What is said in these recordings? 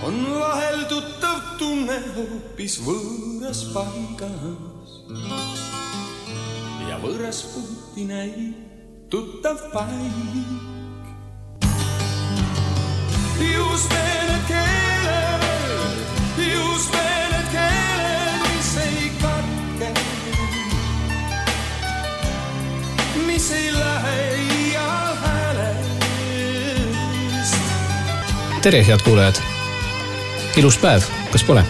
on vahel tuttav tunne hoopis võõras paigas ja võõras puhti näib tuttav paik. Just need keeled, mis ei katke, mis ei lähe iial häälest. Tere, head kuulajad! Ilus päev, kas pole?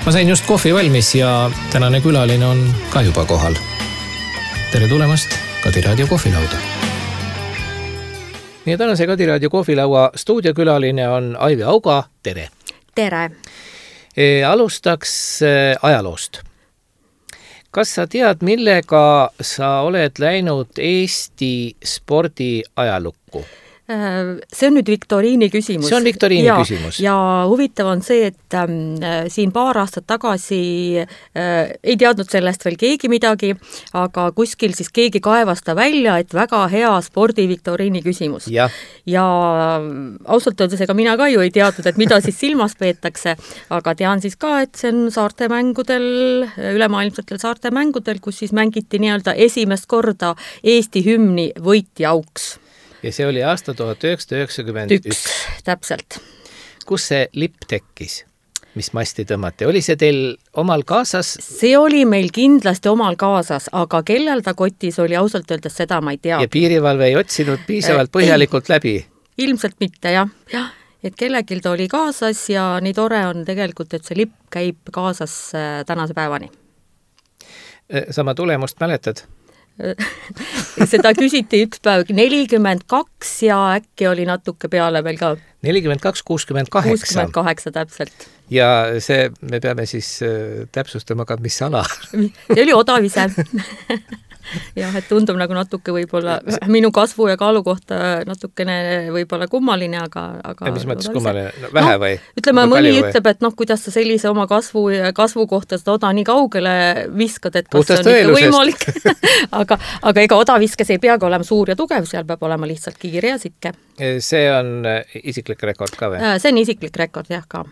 Ma sain just kohvi valmis ja tänane külaline on ka juba kohal. Tere tulemast Kadi Raadio kohvilauda. Meie tänase Kadi Raadio kohvilaua stuudiokülaline on Aivi Auga. Tere! Tere! Alustaks ajaloost. Kas sa tead, millega sa oled läinud Eesti spordi ajalukku? See on nüüd viktoriini küsimus. See on viktoriini küsimus. Ja huvitav on see, et siin paar aastat tagasi ei teadnud sellest veel keegi midagi, aga kuskil siis keegi kaevas ta välja, et väga hea spordi viktoriini küsimus. Ja ausalt öeldes, ega mina ka ju ei teadnud, et mida siis silmas peetakse, aga tean siis ka, et see on saarte mängudel, ülemaailmsetel saarte mängudel, kus siis mängiti nii-öelda esimest korda Eesti hümni võitja auks. Ja see oli aasta 1991. Täpselt. Kus see lipp tekkis? Mis masti tõmmati? Oli see teil omal kaasas? See oli meil kindlasti omal kaasas, aga kellel ta kotis oli, ausalt öeldes seda ma ei tea. Ja piirivalve ei otsinud piisavalt põhjalikult läbi? Ilmselt mitte, jah. Et kellegil ta oli kaasas ja nii tore on tegelikult, et see lipp käib kaasas tänase päevani. Sama tulemust mäletad? Seda küsiti üks päev 42 ja äkki oli natuke peale veel ka 42-68 täpselt. Ja see me peame siis täpsustama ka, mis ala. See oli Odavise. Jah, et tundub nagu natuke võib-olla minu kasvu ja kaalu kohta natukene võib-olla kummaline, aga mis mõttes kummaline? No, vähe või? Ütleme, mõni ütleb, et kuidas sa sellise oma kasvu kohta seda oda nii kaugele viskad, et kas see on ikka võimalik. aga ega odaviskes ei peagi olema suur ja tugev, seal peab olema lihtsalt kiire ja sitke. See on isiklik rekord ka või? See on isiklik rekord, jah ka.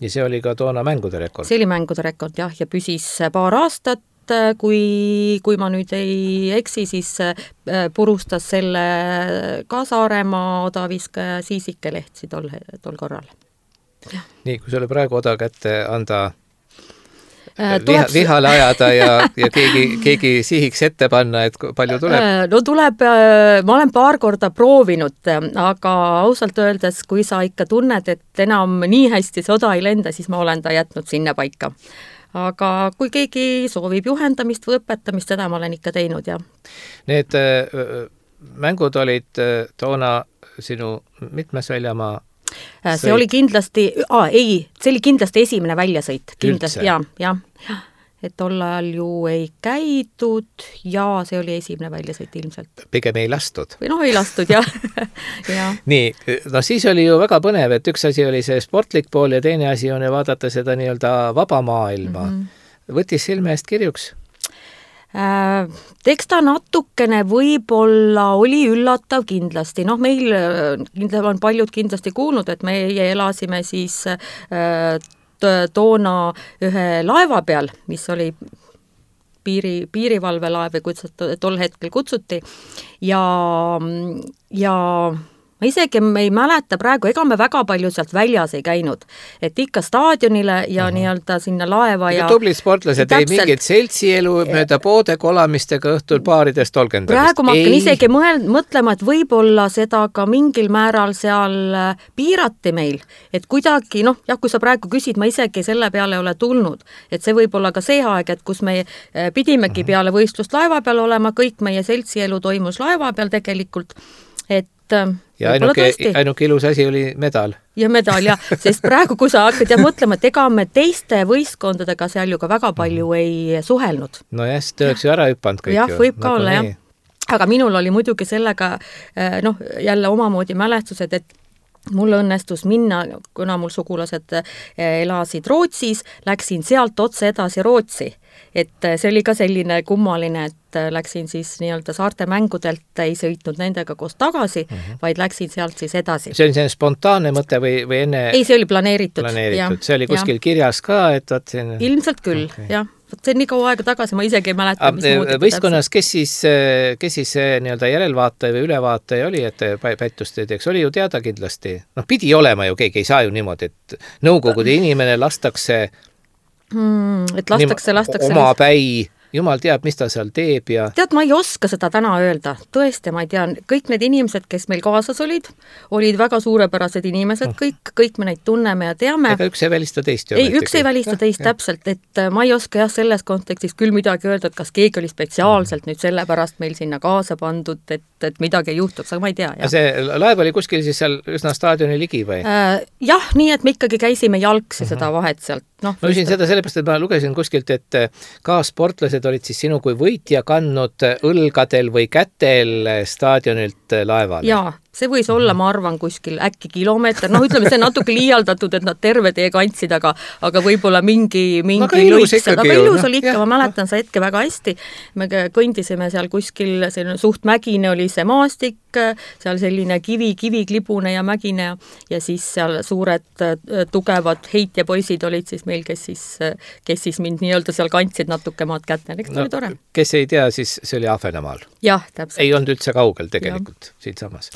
Ja see oli ka toona mängude rekord? See oli mängude rekord, jah, ja püsis paar aastat. Kui ma nüüd ei eksi, siis purustas selle ka Saaremaa odaviskaja Siisike Lehtsi tol korral. Ja. Nii, kui sulle praegu oda kätte anda vihale ajada ja keegi sihiks ette panna, et palju tuleb? No tuleb, ma olen paar korda proovinud, aga ausalt öeldes, kui sa ikka tunned, et enam nii hästi see oda ei lenda, siis ma olen ta jätnud sinna paika. Aga kui keegi soovib juhendamist või õpetamist, seda ma olen ikka teinud, jah. Need mängud olid toona sinu mitmes väljamaa? See oli kindlasti, see oli kindlasti esimene väljasõit. Kindlasti, jah. Et tol ajal ju ei käidud ja see oli esimene väljasõit ilmselt. Pigem ei lastud. Või ei lastud, jah. Nii, no siis oli ju väga põnev, et üks asi oli see sportlik pool ja teine asi on ju vaadata seda nii-öelda vaba maailma. Võttis silme eest kirjuks? Eks ta natukene võib-olla oli üllatav kindlasti. Meil on paljud kindlasti kuulnud, et me elasime siis toona ühe laeva peal, mis oli piirivalvelaev või kuidas tol hetkel kutsuti ja ma isegi ei mäleta praegu, ega me väga palju sealt väljas ei käinud, et ikka staadionile ja nii-öelda sinna laeva ja tublid sportlased, ei mingit seltsielu mööda poode kolamistega õhtul baaridest tolgendamist. Praegu ma hakkan isegi mõtlema, et võib-olla seda ka mingil määral seal piirati meil, et kuidagi, kui sa praegu küsid, ma isegi selle peale ole tulnud, et see võib olla ka see aeg, et kus me pidimegi peale võistlust laeva peal olema, kõik meie seltsielu toimus laeva peal tegelikult, et ja ainuke ilus asi oli medal. Ja medal, jah, sest praegu, kui sa hakkad mõtlema, et ega me teiste võistkondadega seal ju ka väga palju ei suhelnud. No jah, te oleks ju ära hüpanud kõik. Jah, võib ka olla, jah. Aga minul oli muidugi sellega, jälle omamoodi mälestused, et mul õnnestus minna, kuna mul sugulased elasid Rootsis, läksin sealt otse edasi Rootsi. et see oli ka selline kummaline, et läksin siis nii-öelda saarte mängudelt, ei sõitnud nendega koos tagasi, vaid läksin sealt siis edasi. See oli selline spontaanne mõte või enne? Ei, see oli planeeritud. See oli kuskil kirjas ka, et vaat siin... Ilmselt küll, jah. See on nii kaua aega tagasi, ma isegi ei mäleta, mis muud. Võistkonnas, kes siis nii-öelda järelvaataja või ülevaataja oli, et pättust ei teeks? Oli ju teada kindlasti. Pidi olema ju, keegi ei saa ju niimoodi, et nõukogude inimene lastakse omapäi, jumal teab, mis ta seal teeb ja... Tead, ma ei oska seda täna öelda. Tõesti, ma ei tea. Kõik need inimesed, kes meil kaasas olid väga suurepärased inimesed, kõik me neid tunneme ja teame. Ega üks ei välista teist ju. Ei, üks ei välista teist täpselt, et ma ei oska selles kontekstis küll midagi öelda, et kas keegi oli spetsiaalselt nüüd sellepärast meil sinna kaasa pandud, et midagi ei juhtuks, aga ma ei tea. Ja see laev oli kuskil siis seal üsna staadioni ligi või? Jah, nii et me ikkagi käisime jalgsi seda vahet sealt. Ma küsin seda sellepärast, et ma lugesin kuskilt, et ka sportlased olid siis sinu kui võitja kandnud õlgadel või kätel staadionilt laevale. Jaa, see võis olla, ma arvan, kuskil äkki kilomeeter. Ütleme, see natuke liialdatud, et nad terve tee kandsid, aga võib-olla mingi lõikse. Aga ilus oli ikka, ma mäletan see hetke väga hästi. Me kõndisime seal kuskil, suht mägine oli see maastik, seal selline kiviklibune ja mägine ja siis seal suured tugevad heitjapoisid olid siis meil, kes siis mind nii-öelda seal kandsid natuke maad kätte. Eks oli tore. Kes ei tea, siis see oli Ahvenamaal. Jah, täpselt. Ei olnud üldse kaugel tegelikult siit samas.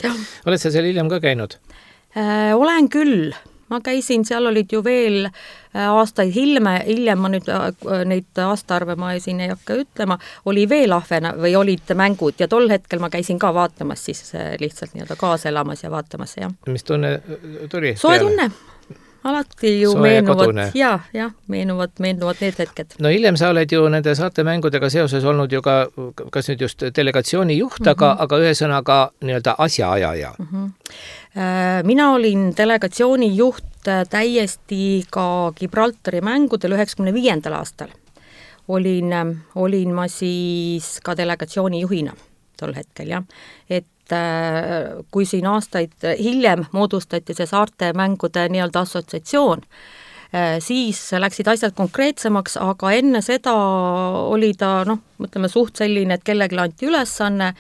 Oled sa seal hiljem ka käinud? Olen küll. Ma käisin, seal olid ju veel aastaid hiljem ma nüüd neid aastaarve ma siin ei hakka ütlema, oli veel või olid mängud ja tol hetkel ma käisin ka vaatamas siis lihtsalt nii-öelda kaaselamas ja vaatamas. Ja. Mis tunne tuli? Soe tunne. Alati ju meenuvad need hetked. No hiljem sa oled ju nende saarte mängudega seoses olnud ju ka, kas nüüd just delegatsiooni juht, aga ühesõnaga nii-öelda asjaajaja. Mina olin delegatsiooni juht täiesti ka Gibraltari mängudel 95. aastal. Olin ma siis ka delegatsiooni juhina tol hetkel, jah. Et kui siin aastaid hiljem moodustati see saarte mängude nii-öelda assotsiatsioon, siis läksid asjad konkreetsemaks, aga enne seda oli ta, mõtleme, suht selline, et kellegi anti ülesanne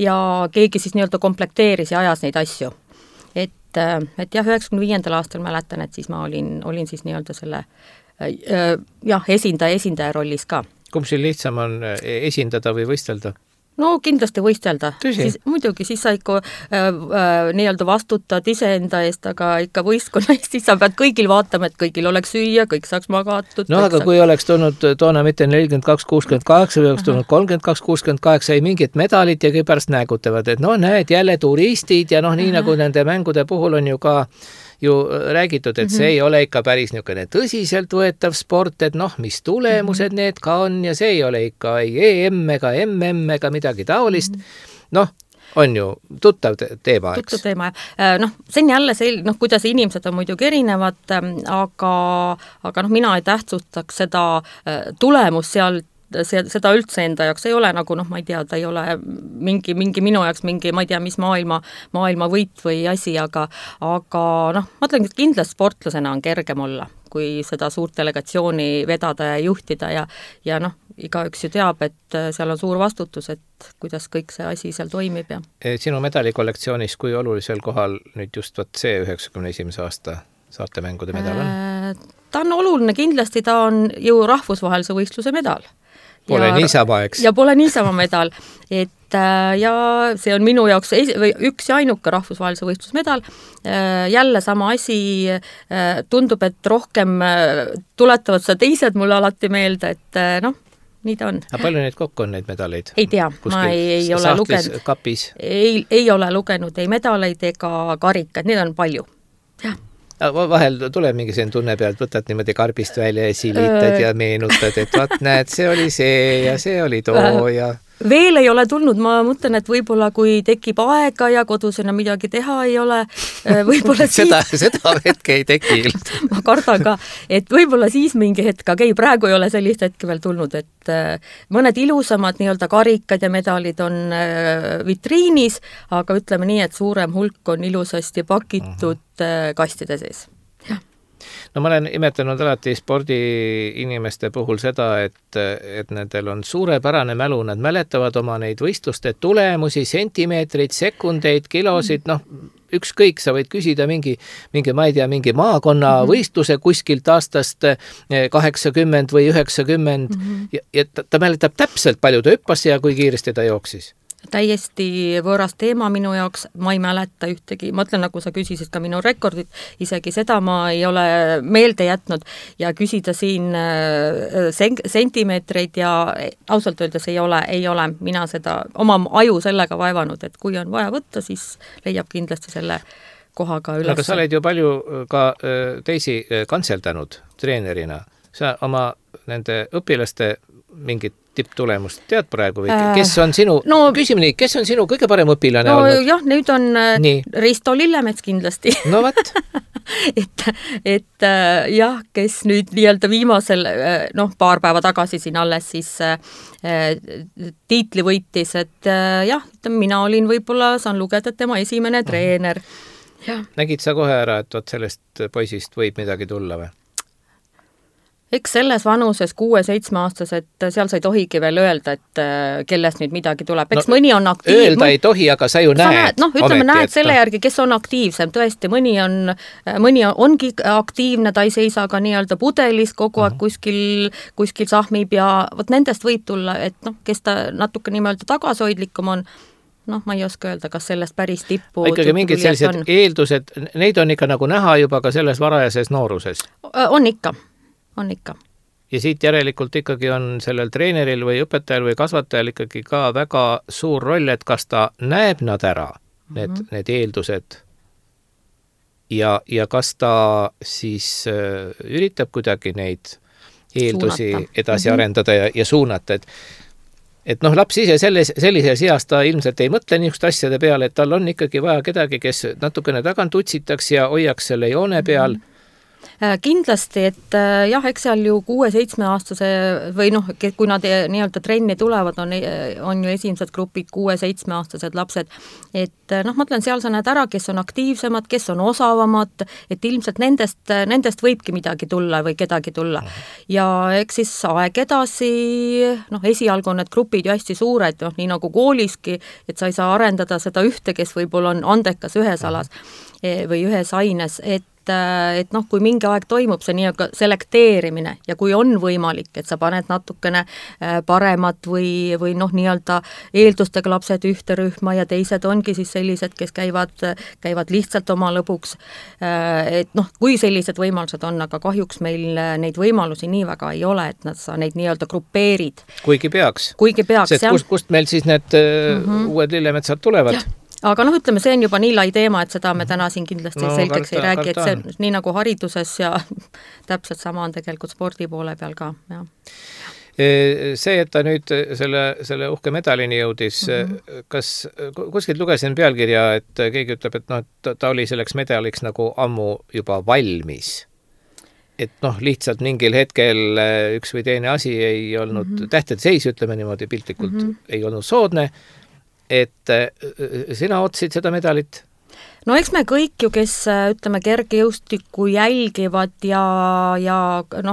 ja keegi siis nii-öelda komplekteeris ja ajas neid asju. Et jah, 95. aastal mäletan, et siis ma olin siis nii-öelda selle esindaja rollis ka. Kumb siin lihtsam on esindada või võistelda? No kindlasti võistelda. Muidugi, siis sa ikka nii-öelda vastutad iseenda eest, aga ikka võistkonna eest, siis sa pead kõigil vaatama, et kõigil oleks süüa, kõik saaks magatud. No aga kui oleks tulnud toona mitte 42-68 või oleks tulnud 32-68, ei mingit medalit ja kõik pärast nägutavad, et näed jälle turistid ja nii nagu nende mängude puhul on ju ka räägitud, et see ei ole ikka päris niisugune tõsiselt võetav sport, et mis tulemused need ka on ja see ei ole ikka ei EM ega MM ega midagi taolist. On ju tuttav teema, eks? Tuttav teema, see on jälle kuidas inimesed on muidugi erinevad, aga mina ei tähtsustaks seda tulemust sealt, seda üldse enda jaoks ei ole nagu, ma ei tea, ta ei ole mingi minu jaoks mingi, ma ei tea, mis maailma võit või asi, aga ma ütlen, et kindlasti sportlasena on kergem olla, kui seda suurt delegatsiooni vedada ja juhtida ja igaüks ju teab, et seal on suur vastutus, et kuidas kõik see asi seal toimib. Ja. Sinu medalikollektsioonis, kui olulisel kohal nüüd just see 91. aasta saarte mängude medal on? Ta on oluline, kindlasti ta on ju rahvusvahelise võistluse medal. Pole niisama, eks? Ja pole niisama medal, et ja see on minu jaoks üks ja ainuke rahvusvahelise võistlusmedal. Jälle sama asi, tundub, et rohkem tuletavad seda teised mulle alati meelde, et nii ta on. Aga palju neid kokku on neid medaleid? Ei tea, ma ei ole lugenud. Kapis? Ei ole lugenud ei medaleid ega karikad, neid on palju. Jah. Vahel tuleb mingi sen tunne pealt, võtad niimoodi karbist välja ja silitad ja meenutad, et vaat näed, see oli see ja see oli too ja... Veel ei ole tulnud, ma mõtlen, et võib-olla kui tekib aega ja kodus enam midagi teha ei ole, võib-olla siis... seda hetke ei teki. Ma kardan ka, et võib-olla siis mingi hetk, aga ei, praegu ei ole sellist hetke veel tulnud, et mõned ilusamad nii-öelda karikad ja medalid on vitriinis, aga ütleme nii, et suurem hulk on ilusasti pakitud kastide sees. No ma olen imetlenud alati spordiinimeste puhul seda, et nendel on suurepärane mälu, nad mäletavad oma neid võistluste tulemusi, sentimeetreid, sekundeid, kilosid, noh, ükskõik, sa võid küsida mingi ma ei tea, mingi maakonna võistluse kuskilt aastast 80 või 90 ja ta mäletab täpselt, palju ta hüppas ja kui kiiresti ta jooksis. Täiesti võõras teema minu jaoks, ma ei mäleta ühtegi, ma ütlen, nagu sa küsisid ka minu rekordit, isegi seda ma ei ole meelde jätnud ja küsida siin sentimeetreid ja ausalt öeldes ei ole mina seda oma aju sellega vaevanud, et kui on vaja võtta, siis leiab kindlasti selle kohaga üles. Aga sa oled ju palju ka teisi kantseldanud treenerina, sa oma nende õpilaste mingit tipptulemust tead praegu või kes on sinu, küsime nii, kes on sinu kõige parem õpilane olnud? Jah, nüüd on Risto Lillemets kindlasti. No võt. et jah, kes nüüd nii-öelda viimasel, paar päeva tagasi siin alles siis tiitli võitis, et jah, mina olin võib-olla, saan lugeda tema esimene treener. Ja. Nägid sa kohe ära, et sellest poisist võib midagi tulla või? Eks selles vanuses 6-7-aastased, seal sa ei tohigi veel öelda, et kellest nüüd midagi tuleb. Eks mõni on aktiivne. Öelda ei tohi, aga sa ju näed. Ütleme, näed selle järgi, kes on aktiivsem. Tõesti, mõni ongi aktiivne, ta ei seisa ka nii-öelda pudelis kogu aeg kuskil sahmib ja võt nendest võib tulla, et kes ta natuke nii-öelda tagasihoidlikum on, ma ei oska öelda, kas sellest päris tippu ikkagi mingid sellised eeldused, neid on ikka nagu näha juba ka selles varajases nooruses? On ikka. Ja siit järelikult ikkagi on sellel treeneril või õpetajal või kasvatajal ikkagi ka väga suur roll, et kas ta näeb nad ära, need eeldused ja kas ta siis üritab kuidagi neid eeldusi edasi arendada ja suunata, et laps ise sellises eas ta ilmselt ei mõtle niisugust asjade peale, et tal on ikkagi vaja kedagi, kes natukene tagant utsitaks ja hoiaks selle joone peal. Kindlasti, et jah, eks seal ju 6-7-aastase või kui nad nii-öelda trenni tulevad, on ju esimesed grupid 6-7-aastased lapsed, et ma ütlen, seal sa näed ära, kes on aktiivsemad, kes on osavamad, et ilmselt nendest võibki midagi tulla või kedagi tulla. Ja eks siis aeg edasi, esialgu on need grupid ju hästi suured, nii nagu kooliski, et sa ei saa arendada seda ühte, kes võib-olla on andekas ühes alas või ühes aines, et kui mingi aeg toimub see nii-aga selekteerimine ja kui on võimalik, et sa paned natukene paremad või nii-öelda eeldustega lapsed ühte rühma ja teised ongi siis sellised, kes käivad lihtsalt oma lõbuks, et kui sellised võimalused on, aga kahjuks meil neid võimalusi nii väga ei ole, et sa neid nii-öelda grupeerid. Kuigi peaks. Kust meil siis need uued lillemetsad tulevad? Ja. Aga ütleme, see on juba nii lai teema, et seda me täna siin kindlasti selgeks ei räägi, et see nii nagu hariduses ja täpselt sama on tegelikult spordi poole peal ka. Ja. See, et ta nüüd selle uhke medalini jõudis, kas kuskilt lugesin pealkirja, et keegi ütleb, et ta oli selleks medaliks nagu ammu juba valmis. Et lihtsalt mingil hetkel üks või teine asi ei olnud tähtede seis, ütleme niimoodi piltlikult, ei olnud soodne, et sina otsid seda medalit? No eks me kõik ju, kes ütleme kergejõustikku jälgivad ja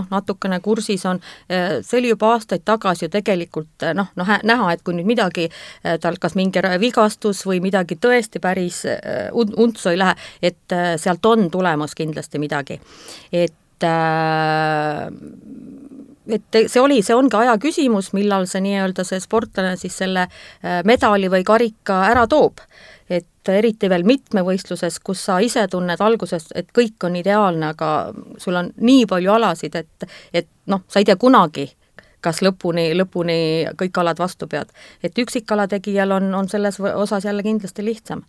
natukene kursis on, see oli juba aastaid tagasi ju tegelikult näha, et kui nüüd midagi, tal kas mingi vigastus või midagi tõesti päris untsu ei lähe, et sealt on tulemas kindlasti midagi. Et see ongi aja küsimus, millal see nii-öelda see sportlane siis selle medali või karika ära toob. Et eriti veel mitmevõistluses, kus sa ise tunned alguses, et kõik on ideaalne, aga sul on nii palju alasid, et sa ei tea kunagi, kas lõpuni kõik alad vastu pead. Et üksikala tegijal on selles osas jälle kindlasti lihtsam.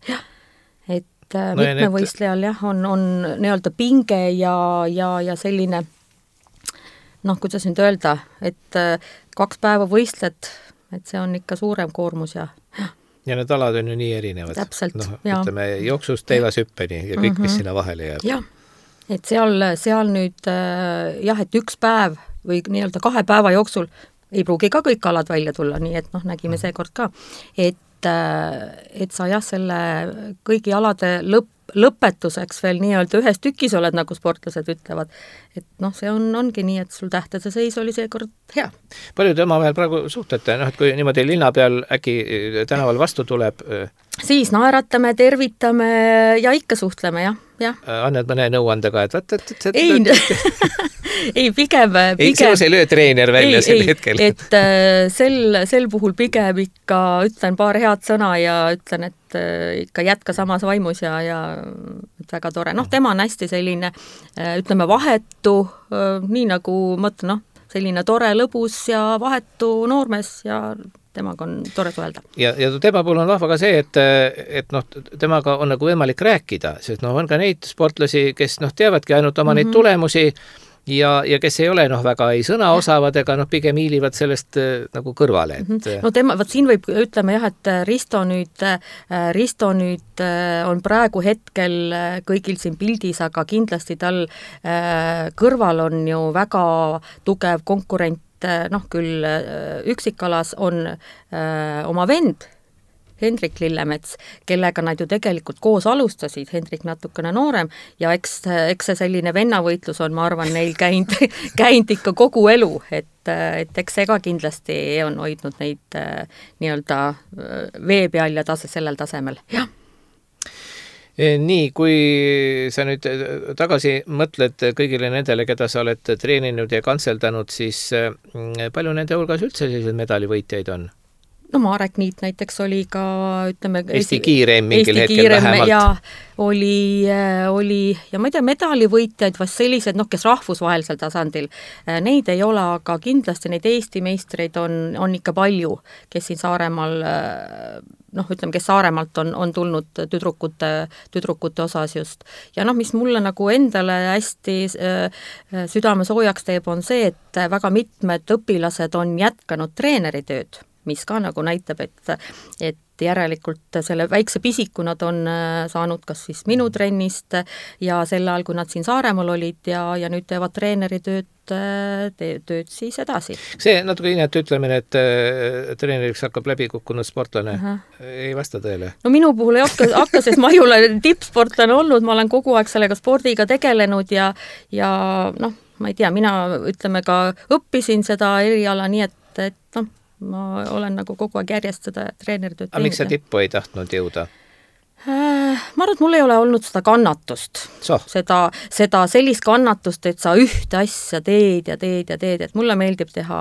Et mitmevõistlejal on nii-öelda pinge ja selline kuidas nüüd öelda, et 2 päeva võistled, et see on ikka suurem koormus ja need alad on ju nii erinevad. Täpselt, ütleme, jooksust teivashüppeni ja kõik, mis sinna vahele jääb. Jah, et seal nüüd et 1 päev või nii-öelda 2 päeva jooksul ei pruugi ka kõik alad välja tulla, nii et nägime seekord ka, et sa selle kõigi alade lõpetuseks veel nii-öelda ühes tükis oled, nagu sportlased ütlevad. Et noh, see ongi nii, et sul tähtede seis oli seekord hea. Palju te omavahel praegu suhtlete? Noh, et kui niimoodi linna peal äkki tänaval vastu tuleb... Siis naeratame, tervitame ja ikka suhtleme, jah. Annad mõne nõuandega, et... Ei, pigem... Sinus ei löö treener välja sel hetkel. Et sel puhul pigem ikka ütlen paar head sõna ja ütlen, et ikka jätka samas vaimus ja väga tore. Noh, tema on hästi selline, ütleme, vahetu, nii nagu mõtlen, selline tore, lõbus ja vahetu noormees ja temaga on tore suhelda. Ja tema puhul on vahva ka see, et temaga on nagu võimalik rääkida, sest on ka neid sportlasi, kes teavadki ainult oma neid tulemusi ja kes ei ole väga ei sõna osavad ega pigem hiilivad sellest nagu kõrvale. No siin võib, ütleme jah, et Risto nüüd on praegu hetkel kõigil siin pildis, aga kindlasti tal kõrval on ju väga tugev konkurent, küll üksikalas on oma vend, Hendrik Lillemets, kellega nad ju tegelikult koos alustasid, Hendrik natukene noorem, ja eks see selline vennavõitlus on, ma arvan, neil käinud ikka kogu elu, et eks see ka kindlasti on hoidnud neid nii-öelda vee peal ja sellel tasemel, jah. Nii, kui sa nüüd tagasi mõtled kõigile nendele, keda sa oled treeninud ja kantseldanud, siis palju nende hulgas üldse sellised medalivõitjaid on? No Marek Niit näiteks oli ka, ütleme... Eesti kiirem mingil hetkel vähemalt. Ja oli, ja ma ei tea, medalivõitjaid vast sellised, kes rahvusvahelisel tasandil, neid ei ole, aga kindlasti neid Eesti meistreid on ikka palju, kes siin Saaremaal, ütleme, kes Saaremaalt on tulnud tüdrukute osas just. Ja mis mulle nagu endale hästi südame soojaks teeb, on see, et väga mitmed õpilased on jätkanud treeneritööd, mis ka nagu näitab, et järelikult selle väikse pisiku nad on saanud kas siis minu trennist ja sel ajal, kui nad siin Saaremaal olid ja nüüd teevad treeneritööd siis edasi. See natuke inet ütlemine, et treeneriks hakkab läbi kukkunud sportlane, ei vasta tõele? No minu puhul ei hakka, sest ma ei ole tippsportlane olnud, ma olen kogu aeg sellega spordiga tegelenud ja ma ei tea, mina ütleme ka õppisin seda eriala nii, et ma olen nagu kogu aeg järjest seda treeneritööd teinud. Aga miks sa tippu ei tahtnud jõuda? Ma arvan, et mul ei ole olnud seda kannatust. Seda sellist kannatust, et sa ühte asja teed, et mulle meeldib teha,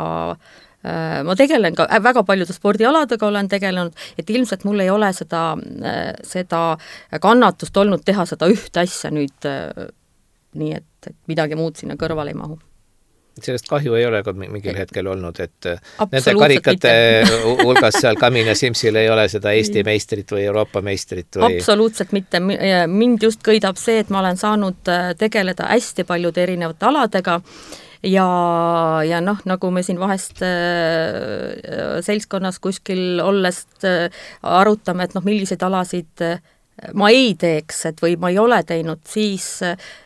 ma tegelen ka väga paljude spordialadega olen tegelenud, et ilmselt mul ei ole seda kannatust olnud teha seda ühte asja nüüd nii, et midagi muud sinna kõrvale ei mahu. Sellest kahju ei ole ka mingil hetkel olnud, et nende karikate hulgas seal Kamina Simsil ei ole seda Eesti meistrit või Euroopa meistrit või... Absoluutselt mitte. Mind just kõidab see, et ma olen saanud tegeleda hästi paljude erinevate aladega ja nagu me siin vahest seltskonnas kuskil ollest arutame, et milliseid alasid ma ei teeks, või ma ei ole teinud, siis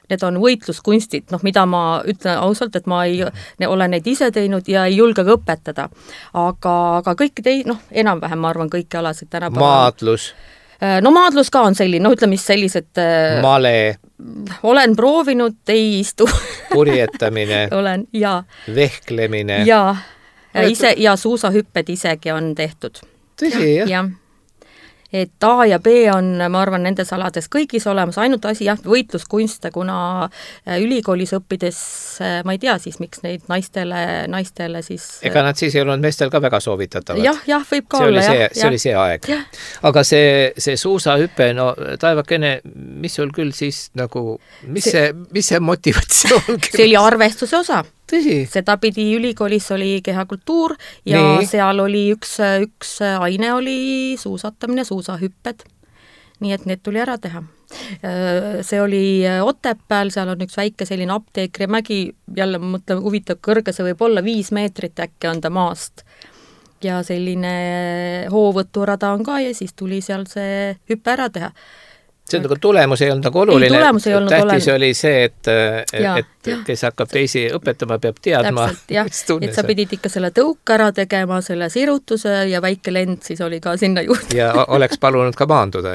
need on võitluskunstid, mida ma ütlen ausalt, et ma ei ole neid ise teinud ja ei julge ka õpetada. Aga kõik enam-vähem ma arvan kõiki alasid tänapäeval. Maadlus? No maadlus ka on selline, ütleme sellised... Male? Olen proovinud, ei istu. Purjetamine? Olen, jaa. Vehklemine? Jaa, ja suusahüpped isegi on tehtud. Tõsi, jah? Jah. Et A ja B on, ma arvan, nendes alades kõigis olemas, ainult asi, võitluskunste, kuna ülikoolis õppides, ma ei tea siis, miks neid naistele siis... Ega nad siis ei olnud meestel ka väga soovitatavad? Jah, võib ka olla, jah. See oli see aeg. Ja. Aga see suusahüpe, taevakene, mis sul küll siis nagu, mis see motivatsioon küll? See oli arvestuse osa. Tõsi? Seda pidi ülikoolis oli kehakultuur ja seal oli üks aine oli suusatamine, suusahüpped. Nii et need tuli ära teha. See oli Otepääl, seal on üks väike selline apteekrimägi, jälle mõtlen, huvitav kõrge, see võib olla 5 meetrit äkki on ta maast. Ja selline hoovõturada on ka ja siis tuli seal see hüppe ära teha. see on nagu tulemus ei olnud nagu oluline. Tulemus ei olnud tähtis oli see, et kes hakkab teisi õpetama, peab teadma. Täpselt, et sa pidid ikka selle tõuk ära tegema, selle sirutuse ja väike lend siis oli ka sinna juurde. Ja oleks palunud ka maanduda.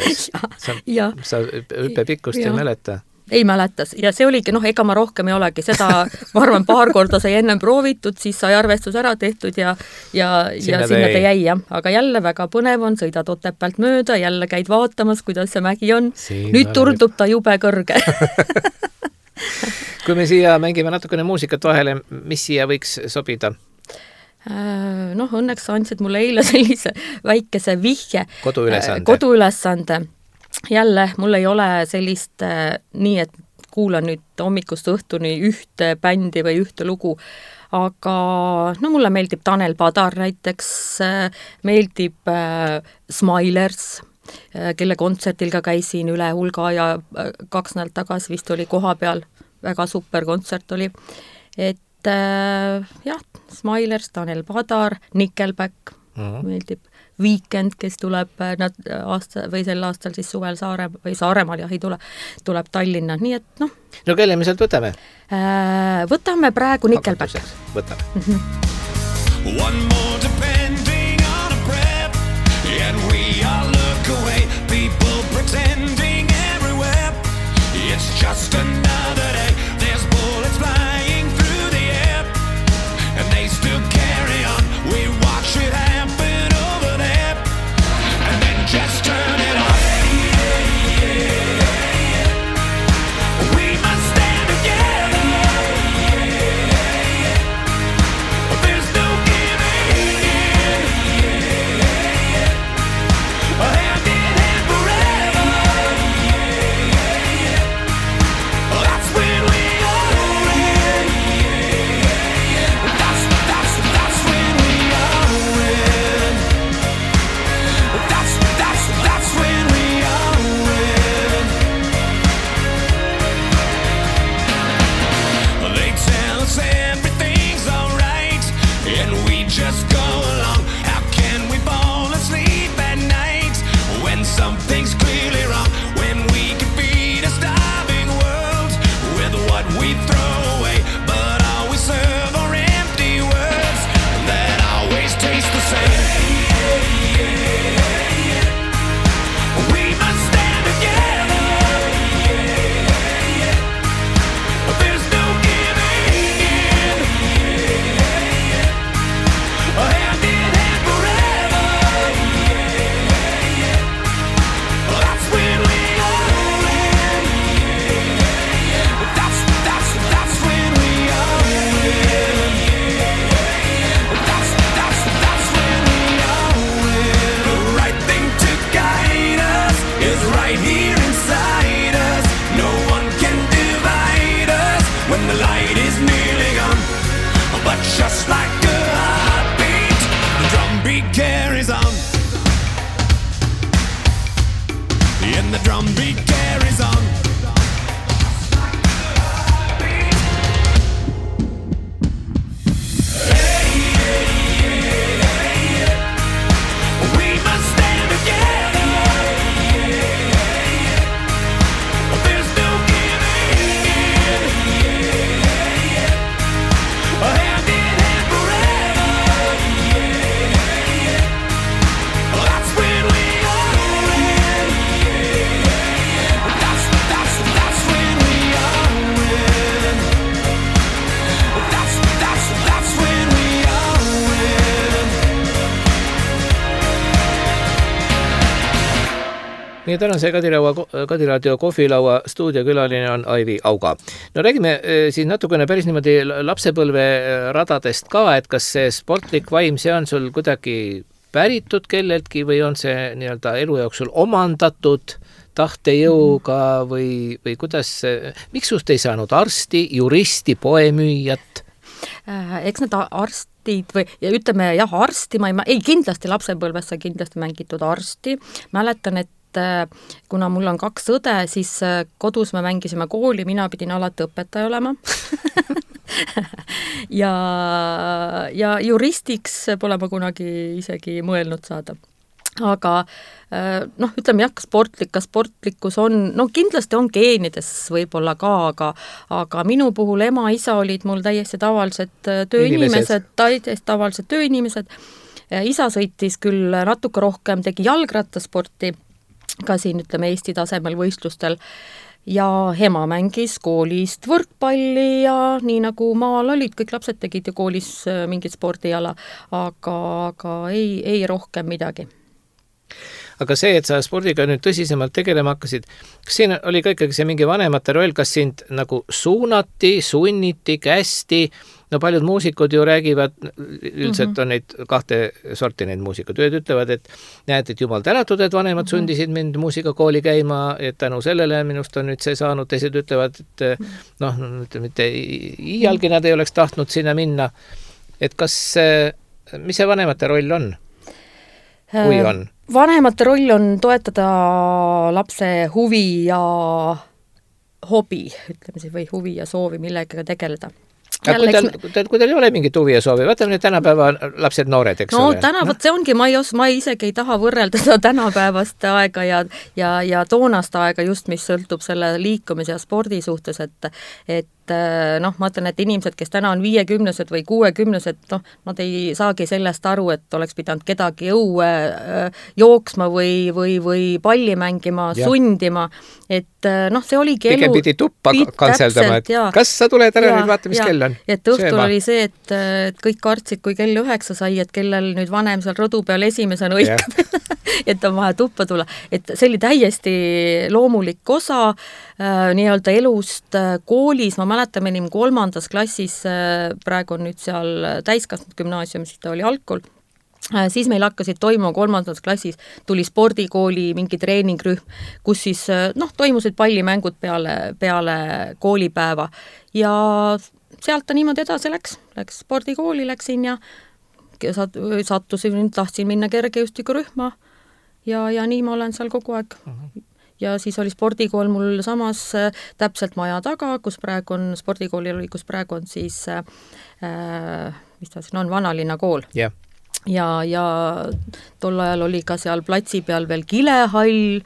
Sa hüppepikkust ei mäleta. Ei mäletas ja see oligi, ega ma rohkem ei olegi, seda ma arvan 2 korda sai ennem proovitud, siis sai arvestus ära tehtud ja sinna ta jäi. Aga jälle väga põnev on, sõidad Otepäält mööda, jälle käid vaatamas, kuidas see mägi on. Nüüd tundub ta jube kõrge. Kui me siia mängime natukene muusikat vahele, mis siia võiks sobida? Õnneks andsid mulle eile sellise väikese vihje. Koduülesande. Jälle, mul ei ole sellist nii, et kuulan nüüd hommikust õhtuni ühte bändi või ühte lugu, aga mulle meeldib Tanel Padar näiteks, meeldib Smilers, kelle kontsertil ka käisin üle hulga ja 2 nädalat tagasi vist oli koha peal, väga super kontsert oli, et Smilers, Tanel Padar, Nickelback meeldib. Weekend, kes tuleb sel aastal siis suvel Saaremaal ei tule, tuleb Tallinna, nii et No kelle me sealt võtame? Võtame praegu Nickelback. Võtame. One more depending on a prep and we all look away, people pretending everywhere, it's just another day, there's bullets flying through the air and they still carry on, we watch it happen. Just turn it off. We must stand together. There's no giving in. Hand in hand forever. That's when we all win. That's when we all win. That's when we all win. They tell us everything's alright, and we just go along. How can we fall asleep at night when something's clearly wrong? When we could feed a starving world with what we throw away, but all we serve are empty words that always taste the same. We must stand together. There's no giving in. Hand in hand forever. That's when we all win. That's when we all win. That's when we all win. The right thing to guide us is right here inside us. No one can divide us when the light is nearly gone. But just like a heartbeat, the drumbeat carries on. And the drumbeat carries on. We must stand together. There's no giving in. Hand in hand forever. That's when we all win. That's when we all win. That's when we all win. Meie tänase Kadiraadio kohvilaua stuudiokülaline on Aivi Auga. No räägime siis natukene päris niimoodi lapsepõlve radadest ka, et kas see sportlik vaim, see on sul kuidagi päritud kelleltki või on see nii-öelda elu jooksul omandatud tahtejõuga või kuidas, miks sust ei saanud arsti, juristi, poemüüjat? Eks need arstid või ja ütleme arsti, kindlasti lapsepõlves sai kindlasti mängitud arsti. Mäletan, et kuna mul on 2 õde, siis kodus me mängisime kooli, mina pidin alati õpetaja olema. ja juristiks pole ma kunagi isegi mõelnud saada. aga noh, ütleme jah, sportlikkus on, no kindlasti on geenides võib-olla ka, aga minu puhul ema-isa olid mul täiesti tavalised tööinimesed, täiesti tavalised tööinimesed. Isa sõitis küll natuke rohkem, tegi jalgrattasporti, ka siin ütleme Eesti tasemel võistlustel, ja ema mängis koolist võrkpalli ja nii nagu maal olid, kõik lapsed tegid ju koolis mingit spordiala, aga ei rohkem midagi. Aga see, et sa spordiga nüüd tõsisemalt tegelema hakkasid, kas siin oli ka ikkagi see mingi vanemate roll, kas sind nagu suunati, sunniti, kästi? No paljud muusikud ju räägivad, üldiselt on neid kahte sorti neid muusikud. Ühed ütlevad, et näed, et jumal tänatud, et vanemad sundisid mind muusikakooli käima, et tänu sellele minust on nüüd see saanud. Teised ütlevad, et noh, mitte iialgi nad ei oleks tahtnud sinna minna. Et kas, mis see vanemate roll on? Kui on? Vanemate roll on toetada lapse huvi ja hobi, ütleme siis, või huvi ja soovi millegagi tegeleda. Kui tal ei ole mingit huvi ja soovi, vaatame nüüd tänapäeva lapsed noored, eks ole? No see ongi, ma isegi ei taha võrrelda seda tänapäevast aega ja toonast aega just, mis sõltub selle liikumise ja spordi suhtes, et noh, ma ütlen, et inimesed, kes täna on 50-sed või 60-sed, noh, nad ei saagi sellest aru, et oleks pidanud kedagi õue jooksma või palli mängima, sundima, et noh, see oligi elu. Pigem pidi tuppa kantseldama, et kas sa tuled ära nüüd vaata, mis kell on? Et õhtul oli see, et kõik kartsid, kui kell 9 sai, et kellel nüüd vanem seal rõdu peal esimesena õikab, et on vaja tuppa tulla. Et see oli täiesti loomulik osa nii-öelda elust koolis. Ma mäletan, me 3. klassis, praegu on nüüd seal täiskasvanud gümnaasium, siis ta oli algkool, siis meil hakkasid toimuma 3. klassis, tuli spordikooli mingi treeningrühm, kus siis noh, toimusid pallimängud peale koolipäeva ja sealt ta niimoodi edasi läks spordikooli, läksin ja sattusin, tahtsin minna kergejõustikurühma ja nii ma olen seal kogu aeg. Ja siis oli spordikool mul samas täpselt maja taga, kus praegu on, spordikoolil oli, kus praegu on siis, mis ta siin on, Vanalinna kool. Yeah. Ja tol ajal oli ka seal platsi peal veel kilehall,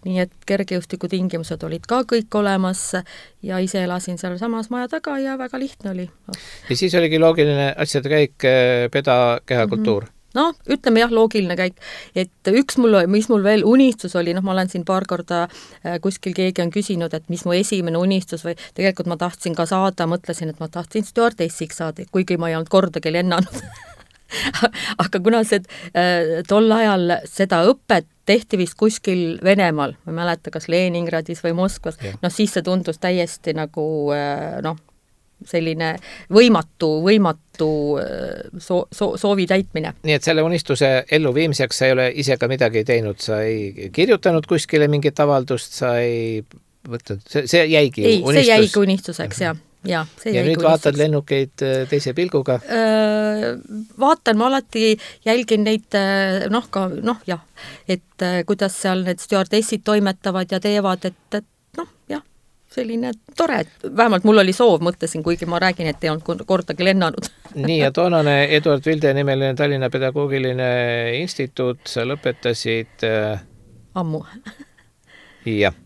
nii et kergejõustiku tingimused olid ka kõik olemas ja ise elasin seal samas maja taga ja väga lihtne oli. Ja siis oligi loogiline asjade käik, peda, kehakultuur. No, ütleme jah, loogiline käik, et mis mul veel unistus oli, noh, ma olen siin paar korda kuskil keegi on küsinud, et mis mu esimene unistus või tegelikult ma tahtsin ka saada, mõtlesin, et ma tahtsin stjuardessiks saada, kuigi ma ei olnud kordagi lennanud. Aga kuna tol ajal seda õpet tehti vist kuskil Venemaal, ma ei mäleta, kas Leningradis või Moskvas, noh siis see tundus täiesti nagu noh, selline võimatu soovi täitmine. Nii et selle unistuse elluviimiseks sa ei ole ise ka midagi teinud, sa ei kirjutanud kuskile mingit avaldust, sa ei võtnud, see jäigi unistus? See jäigi unistuseks, jah. Ja nüüd vaatad lennukeid teise pilguga? Vaatan, ma alati jälgin neid, et kuidas seal need stjuardessid toimetavad ja teevad, et noh, jah, selline tore, vähemalt mul oli soov, mõtlesin, kuigi ma räägin, et ei olnud kordagi lennanud. Nii, ja toonane Eduard Vilde nimeline Tallinna Pedagoogiline Instituut, sa lõpetasid ammu. Jah.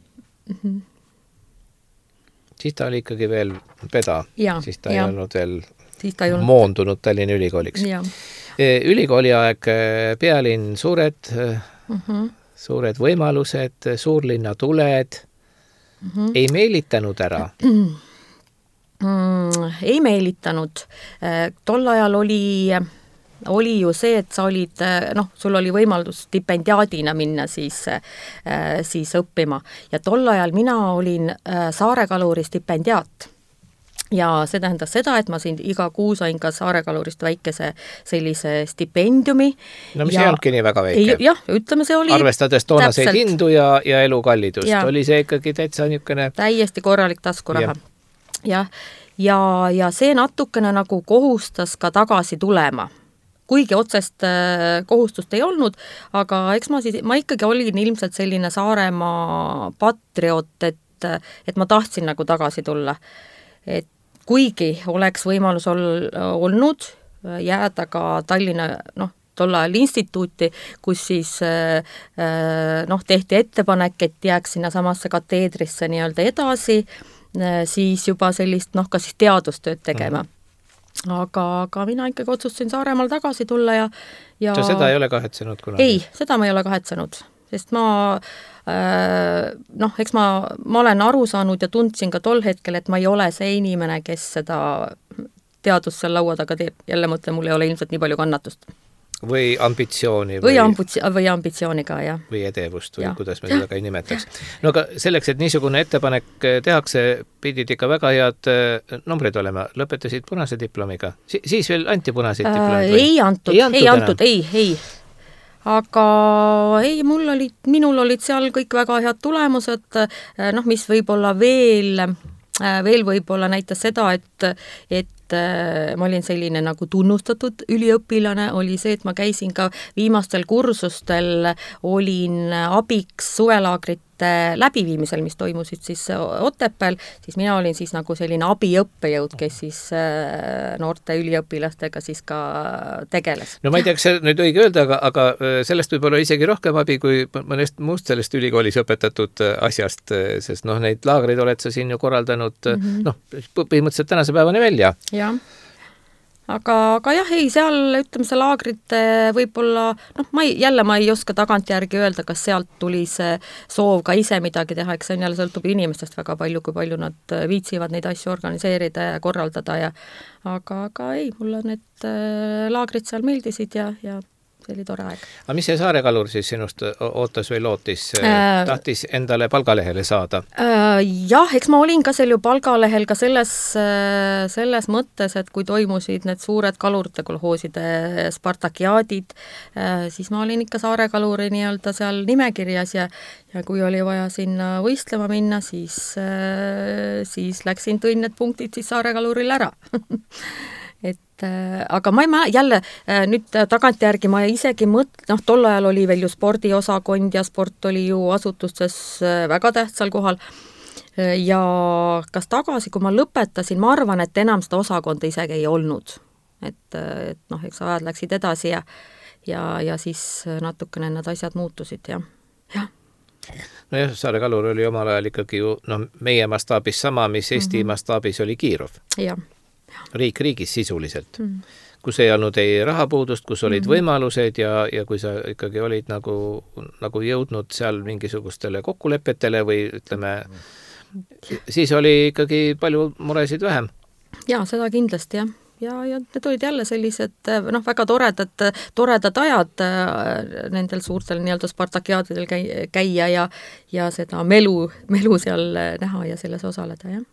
Siis ta oli ikkagi veel peda, siis ta ei olnud veel moondunud Tallinna ülikooliks. Ülikooli aeg, pealinn, suured võimalused, suurlinna tuled, ei meelitanud ära? Ei meelitanud. Tol ajal oli ju see, et sa olid, noh, sul oli võimalus stipendiaadina minna siis õppima. Ja tol ajal mina olin Saare Kaluri stipendiaat. Ja see tähendas seda, et ma siin iga kuu sain ka Saare Kalurist väikese sellise stipendiumi. No mis ei olnudki nii väga väike? Jah, ütleme, see oli arvestades toonaseid hindu ja elukallidust. Oli see ikkagi täitsa niisugune täiesti korralik taskuraha. Ja see natukene nagu kohustas ka tagasi tulema. Kuigi otsest kohustust ei olnud, aga eks ma ikkagi olin ilmselt selline Saaremaa patriot, et ma tahtsin nagu tagasi tulla. Et kuigi oleks võimalus olnud jääda ka Tallinna, noh, tol ajal instituuti, kus siis tehti ettepanek, et jääks sinna samasse kateedrisse nii-öelda edasi, siis juba sellist ka siis teadustööd tegema. Aga mina ikkagi otsustasin Saaremaal tagasi tulla ja sa seda ei ole kahetsenud kunagi? Ei, seda ma ei ole kahetsenud, sest eks ma olen aru saanud ja tundsin ka tol hetkel, et ma ei ole see inimene, kes seda teadust seal laua taga teeb. Jälle mõtlen, mul ei ole ilmselt nii palju kannatust. Või ambitsiooni. Või ambitsiooni ka, jah. Või edevust, või kuidas me seda ka ei nimetaks. No aga selleks, et niisugune ettepanek tehakse, pidid ikka väga head numbrid olema. Lõpetasid punase diplomiga. Siis veel anti punaseid diplomid? Ei antud. Aga minul olid seal kõik väga head tulemused, mis võib-olla veel võib-olla näitas seda, et ma olin selline nagu tunnustatud üliõpilane, oli see, et ma käisin ka viimastel kursustel, olin abiks suvelaagrite läbiviimisel, mis toimusid siis Otepääl, siis mina olin siis nagu selline abiõppejõud, kes siis noorte üliõpilastega siis ka tegeles. No ma ei tea, kas see nüüd õige öelda, aga sellest võib olla isegi rohkem abi kui mõnest muust sellest ülikoolis õpetatud asjast, sest neid laagreid oled sa siin ju korraldanud põhimõtteliselt tänase päevani välja. Jah. Aga jah, seal ütleme see laagrite võib-olla, ma ei oska tagantjärgi öelda, kas sealt tuli see soov ka ise midagi teha, eks see on jälle sõltub inimestest väga palju, kui palju nad viitsivad neid asju organiseerida ja korraldada aga ei, mulle need laagrid seal meeldisid ja see oli tore aeg. Aga mis see Saare Kalur siis sinust ootas või lootis? Tahtis endale palgalehele saada? Jah, eks ma olin ka seal ju palgalehel ka selles mõttes, et kui toimusid need suured kalurite kolhooside spartakiaadid, siis ma olin ikka Saare Kaluri nii-öelda seal nimekirjas ja kui oli vaja sinna võistlema minna, siis tõin need punktid siis Saare Kaluril ära. Aga ma jälle nüüd tagantjärgi ma isegi tol ajal oli veel ju spordiosakond ja sport oli ju asutustes väga tähtsal kohal ja kas tagasi, kui ma lõpetasin, ma arvan, et enam seda osakonda isegi ei olnud, et eks ajad läksid edasi ja siis natukene need asjad muutusid ja. Nojah, Saare Kalur oli omal ajal ikkagi ju meie mastaabis sama, mis Eesti mastaabis oli Kiirov. Jah. Riigis sisuliselt, kus ei olnud ei rahapuudust, kus olid võimalused ja kui sa ikkagi olid nagu jõudnud seal mingisugustele kokkulepetele või ütleme, siis oli ikkagi palju muresid vähem. Jaa, seda kindlasti, jah. Ja need olid jälle sellised väga toredad ajad nendel suurtel nii-öelda spartakiaadidel käia ja seda melu seal näha ja selles osaleda, jah.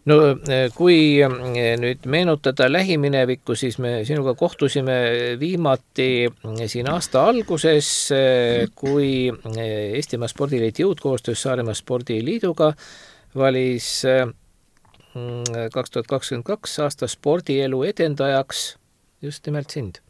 No kui nüüd meenutada lähiminevikku, siis me sinuga kohtusime viimati siin aasta alguses, kui Eestimaa Spordiliit jõudkoostöös Saaremaa Spordiliiduga valis 2022 aasta spordielu edendajaks just nimelt sind.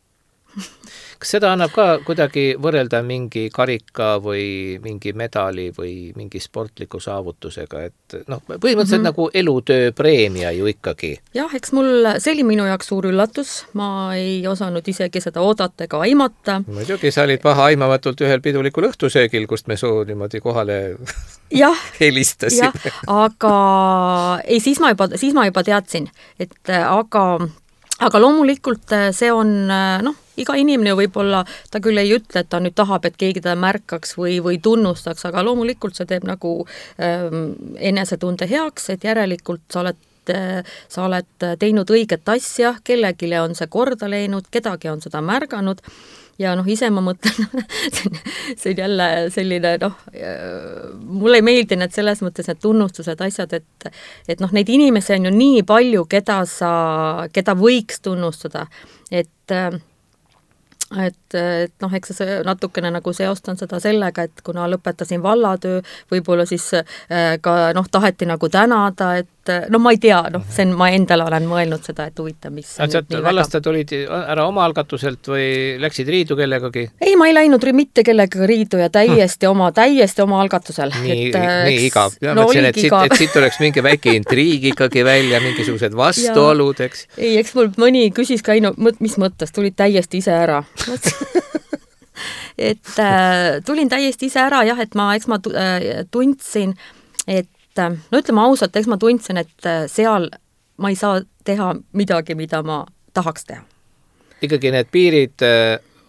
Kas seda annab ka kuidagi võrrelda mingi karika või mingi medali või mingi sportliku saavutusega, et põhimõtteliselt nagu elutöö preemia ju ikkagi? Jah, eks see oli minu jaoks suur üllatus, ma ei osanud isegi seda oodata ega aimata. Muidugi, sa olid paha aimamatult ühel pidulikul õhtusöögil, kust me soo niimoodi kohale helistasime. Aga ei, siis ma juba teadsin, et aga loomulikult see on, iga inimene võib-olla, ta küll ei ütle, et ta nüüd tahab, et keegi ta märkaks või tunnustaks, aga loomulikult see teeb nagu enesetunde heaks, et järelikult sa oled teinud õiget asja, kellegile on see korda läinud, kedagi on seda märganud ja ise ma mõtlen, see on jälle selline, mulle ei meeldi need selles mõttes need tunnustused, asjad, et neid inimesi on ju nii palju, keda võiks tunnustada, eks see natukene nagu seostan seda sellega, et kuna lõpetasin vallatöö, võib-olla siis ka taheti nagu tänada, et no ma ei tea, see on, ma endale olen mõelnud seda, et huvitav, mis vallast tulid ära oma algatuselt või läksid riidu kellegagi? Ei, ma ei läinud mitte kellegagi riidu ja täiesti oma algatusel. Nii igav. Mõtlesin, et siit oleks mingi väike intriig ikkagi välja, mingisugused vastuolud, eks? Ei, eks mul mõni küsis ka, mis mõttes, tulid täiesti ise ära. Et tulin täiesti ise ära, jah, et eks ma tundsin, et no ütleme ausalt, eks ma tundsin, et seal ma ei saa teha midagi, mida ma tahaks teha. Ikkagi need piirid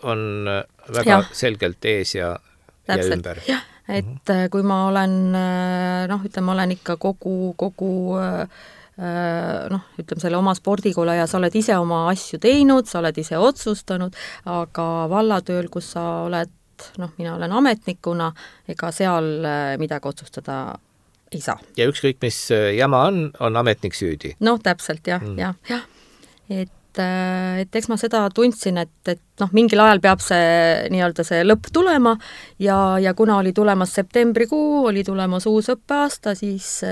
on väga selgelt ees ja ümber. Jah, et kui ma olen, ütleme, olen ikka kogu ütleme selle oma spordikoole ja sa oled ise oma asju teinud, sa oled ise otsustanud, aga vallatööl, kus sa oled, mina olen ametnikuna, ega seal midagi otsustada ei saa. Ja ükskõik, mis jama on ametnik süüdi. Täpselt, jah. Et eks ma seda tundsin, et mingil ajal peab see nii-öelda see lõpp tulema ja kuna oli tulemas septembrikuu, oli tulemas uus õppeaasta, siis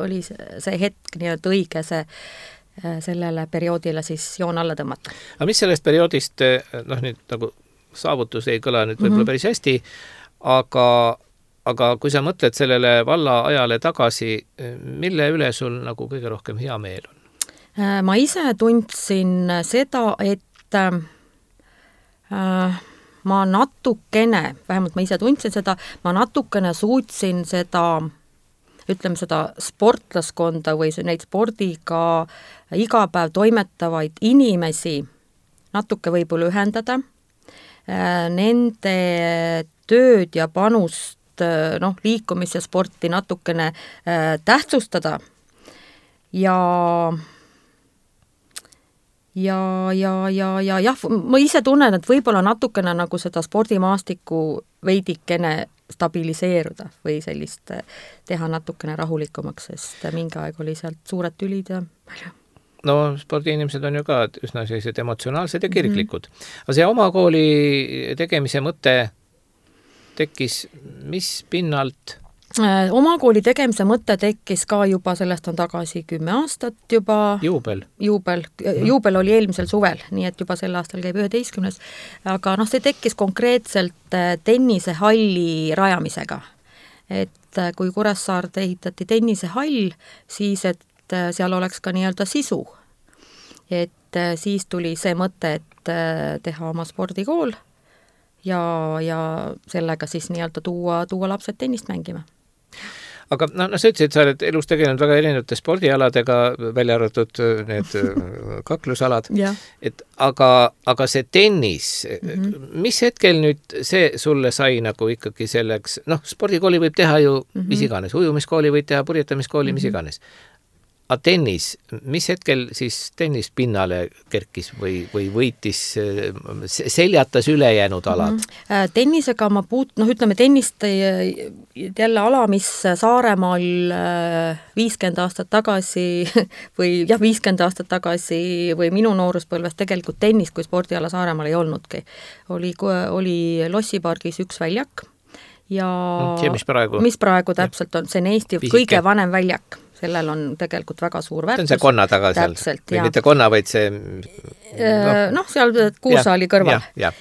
oli see hetk nii-öelda õige sellele perioodile siis joon alla tõmmata. Aga mis sellest perioodist, nüüd nagu saavutus ei kõla nüüd võib-olla päris hästi, aga kui sa mõtled sellele valla ajale tagasi, mille üle sul nagu kõige rohkem hea meel on? Ma ise tundsin seda, et ma natukene, vähemalt ma ise tundsin seda, ma natukene suutsin seda, ütleme seda sportlaskonda või neid spordiga iga päev toimetavaid inimesi natuke võib-olla ühendada, nende tööd ja panust, liikumis ja sporti natukene tähtsustada ja ma ise tunnen, et võib-olla natukene nagu seda spordimaastikku veidikene stabiliseeruda või sellist teha natukene rahulikumaks, sest mingi aeg oli sealt suured tülid ja palju. No spordiinimesed on ju ka üsna sellised emotsionaalsed ja kirglikud. Aga see oma kooli tegemise mõte tekkis mis pinnalt? Oma kooli tegemise mõte tekkis ka juba, sellest on tagasi 10 aastat juba. Juubel oli eelmisel suvel, nii et juba sel aastal käib 11. Aga see tekkis konkreetselt tennisehalli rajamisega. Et kui Kuressaarde ehitati tennisehall, siis et seal oleks ka nii-öelda sisu. Et siis tuli see mõte, et teha oma spordikool ja sellega siis nii-öelda tuua lapsed tennist mängima. Aga sa ütlesid, et sa oled elus tegelenud väga erinevate spordialadega, välja arvatud need kaklusalad. Aga see tennis, mis hetkel nüüd see sulle sai nagu ikkagi selleks, spordikooli võib teha ju mis iganes, ujumiskooli võib teha, purjetamiskooli, mis iganes. Aga tennis, mis hetkel siis tennis pinnale kerkis või võitis, seljatas ülejäänud alad? Tennisega ma ütleme tennist jälle ala, mis Saaremaal 50 aastat tagasi või 50 aastat tagasi või minu nooruspõlves tegelikult tennis kui spordiala Saaremaal ei olnudki. Oli Lossipargis üks väljak ja mis praegu täpselt on, see on Eesti kõige vanem väljak. Sellel on tegelikult väga suur väärtus. See on see konna taga seal. Või mitte konna, vaid see... seal Kuusaali kõrval. Ja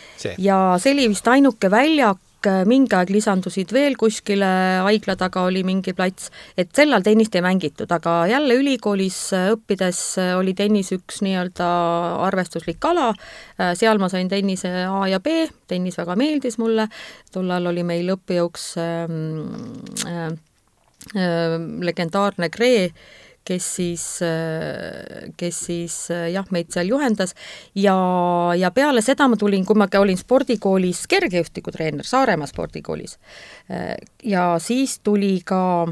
see oli vist ainuke väljak, mingi aeg lisandusid veel kuskile, haigla taga oli mingi plats, et sellal tennist ei mängitud, aga jälle ülikoolis õppides oli tennis üks nii-öelda arvestuslik ala, seal ma sain tennise A ja B, tennis väga meeldis mulle, tollal oli meil õppejõuks legendaarne Kree, kes siis meid seal juhendas ja peale seda ma tulin, kui ma olin spordikoolis kergejõustikutreener Saaremaa spordikoolis ja siis tuli ka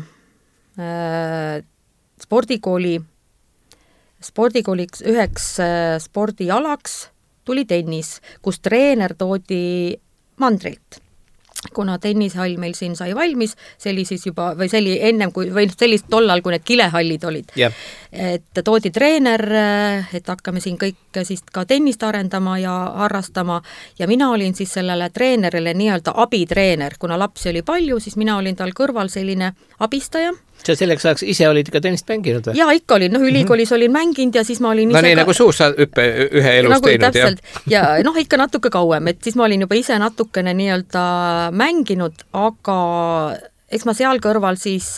spordikooliks üheks spordialaks tuli tennis, kus treener toodi mandrilt. Kuna tennishall meil siin sai valmis, see oli siis juba, või see oli ennem kui, või sellist tollal, kui need kilehallid olid. Et toodi treener, et hakkame siin kõik siis ka tennist arendama ja harrastama ja mina olin siis sellele treenerile nii-öelda abitreener, kuna lapsi oli palju, siis mina olin tal kõrval selline abistaja Sa selleks ajaks ise olid ikka tennist mänginud või? Jaa, ikka olin. Ülikoolis olin mänginud ja siis ma olin ise nii nagu suusahüppe ühe elus nagu teinud. Täpselt. Ja ikka natuke kauem, et siis ma olin juba ise natukene nii-öelda mänginud, aga eks ma seal kõrval siis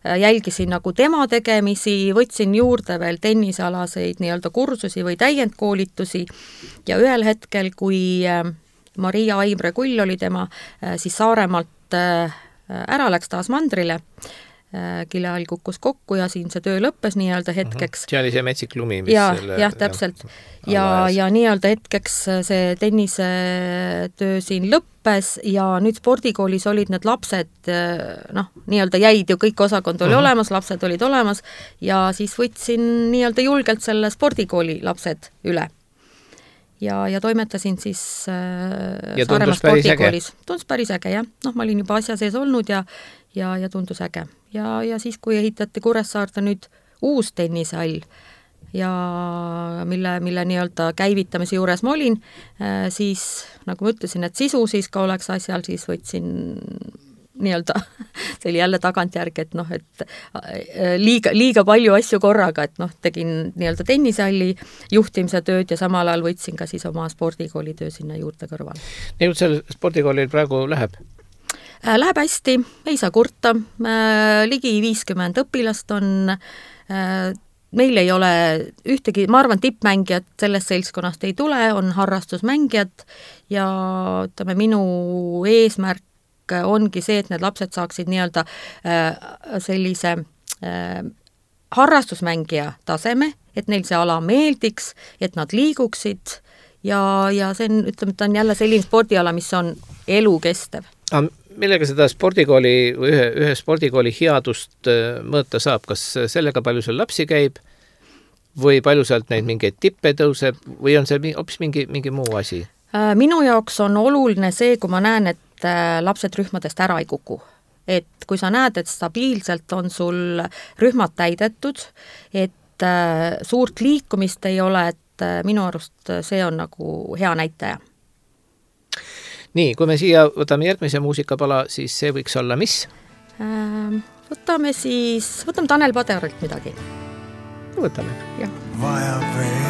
jälgisin nagu tema tegemisi, võtsin juurde veel tennisealaseid nii-öelda kursusi või täiendkoolitusi ja ühel hetkel, kui Maria Aimre Kull oli tema, siis Saaremaalt ära läks taas mandrile, kille all kukkus kokku ja siin see töö lõppes nii-öelda hetkeks. See oli see metsik lumi, mis jah, täpselt. Ja nii-öelda hetkeks see tennise töö siin lõppes ja nüüd spordikoolis olid need lapsed, nii-öelda jäid ju kõik osakond oli olemas, lapsed olid olemas ja siis võtsin nii-öelda julgelt selle spordikooli lapsed üle. Ja toimetasin siis Saaremaa spordikoolis. Tundus päris äge, jah. Ma olin juba asja sees olnud ja tundus äge. Ja siis, kui ehitati Kuressaarde nüüd uus tennishall ja mille nii-öelda käivitamise juures ma olin, siis nagu ma ütlesin, et sisu siis ka oleks asjal, siis võtsin nii-öelda, see oli jälle tagantjärgi, et liiga palju asju korraga, et tegin nii-öelda tennisalli juhtimise tööd ja samal ajal võtsin ka siis oma spordikooli töö sinna juurde kõrval. Nii, seal spordikoolil praegu läheb? Läheb hästi, ei saa kurta, ligi 50 õpilast on, meil ei ole ühtegi, ma arvan, tippmängijad sellest seltskonnast ei tule, on harrastusmängijad ja ütleme, minu eesmärk ongi see, et need lapsed saaksid nii-öelda sellise harrastusmängija taseme, et neil see ala meeldiks, et nad liiguksid ja see on, ütleme, ta on jälle selline spordiala, mis on elukestev. Millega seda spordikooli või ühe spordikooli headust mõõta saab? Kas sellega palju seal lapsi käib või palju sealt neid mingeid tippe tõuseb või on see hoopis mingi muu asi? Minu jaoks on oluline see, kui ma näen, et lapsed rühmadest ära ei kuku. Et kui sa näed, et stabiilselt on sul rühmad täidetud, et suurt liikumist ei ole, et minu arust see on nagu hea näitaja. Nii, kui me siia võtame järgmise muusikapala, siis see võiks olla mis? Võtame Tanel Paderilt midagi. Võtame. Ja. Vaja veel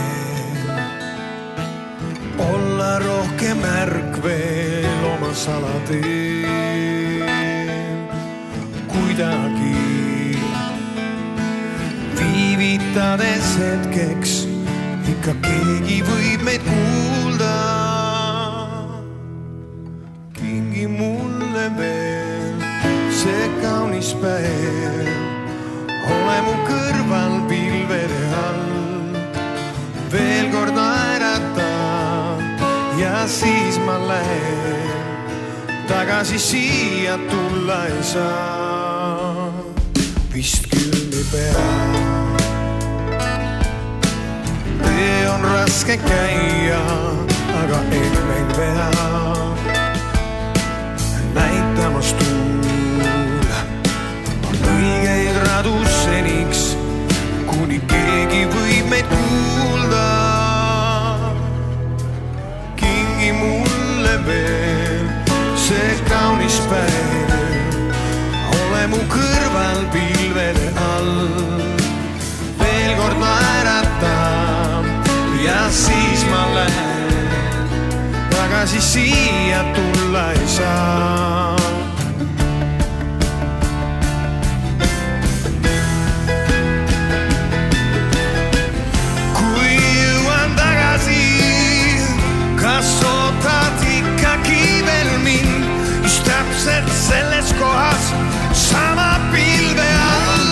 olla rohkem märk veel oma salateel. Kuidagi viivitades hetkeks ikka keegi võib meid kuulda. Kingi mulle veel see kaunis päev, ole mu kõrval pilvede all, veel kord naerata ja siis ma lähen, tagasi siia tulla ei saa. Vist küll ei pea, tee on raske käia, aga ehk pea näitamas tuul õigeid radu seniks, kuni keegi võib meid kuulda. Kingi mulle veel see kaunis päev, ole mu kõrval pilvede all, veel kord naerata ja siis ma lähen, tagasi siia tulla ei saa. Kui jõuan tagasi, kas ootad ikkagi veel mind, just täpselt selles kohas sama pilve all.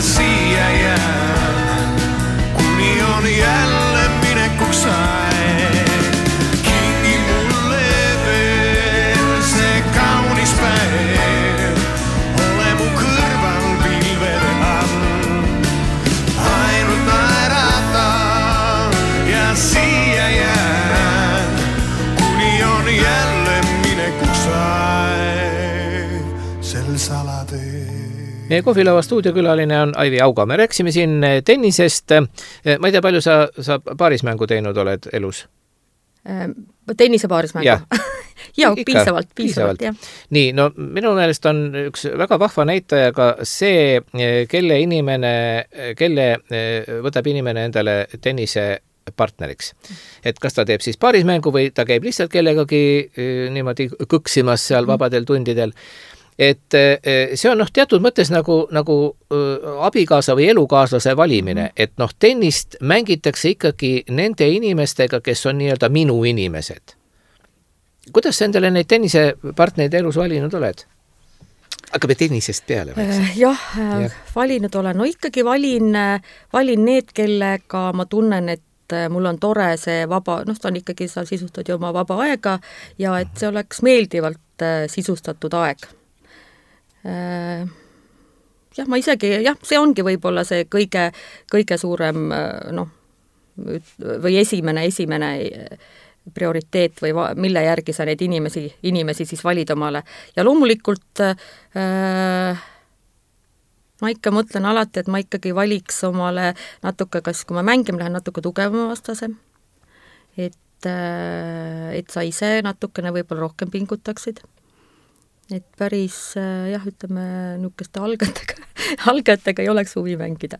siia jään, kuni on jälle minekuks aeg. Kingi mulle veel see kaunis päev, ole mu kõrval pilvede all. Ainult naerata ja siia jään, kuni on jälle minekuks aeg sel salatee. Meie kohvilava stuudiokülaline on Aivi Auga. Me rääksime siin tennisest. Ma ei tea, palju sa paarismängu teinud oled elus? Tennise paarismängu? Jaa, piisavalt, jah. Nii, no minu meelest on üks väga vahva näitaja ka see, kelle võtab inimene endale tennise partneriks. Et kas ta teeb siis paarismängu või ta käib lihtsalt kellegagi niimoodi kõksimas seal vabadel tundidel. Et see on teatud mõttes nagu abikaasa või elukaaslase valimine, et tennist mängitakse ikkagi nende inimestega, kes on nii-öelda minu inimesed. Kuidas sa endale neid tennisepartnereid elus valinud oled? Hakkame tennisest peale. Jah, valinud olen. No ikkagi valin need, kellega ma tunnen, et mul on tore see vaba, ta on ikkagi, sa sisustad ju oma vaba aega ja et see oleks meeldivalt sisustatud aeg. Jah, ma isegi, see ongi võib-olla see kõige suurem, või esimene prioriteet või mille järgi sa neid inimesi siis valid omale. Ja loomulikult ma ikka mõtlen alati, et ma ikkagi valiks omale natuke, kas kui ma mängima lähen, natuke tugevama vastase, et sa ise natukene võib-olla rohkem pingutaksid. Et päris, ütleme, niisuguste algajatega ei oleks huvi mängida.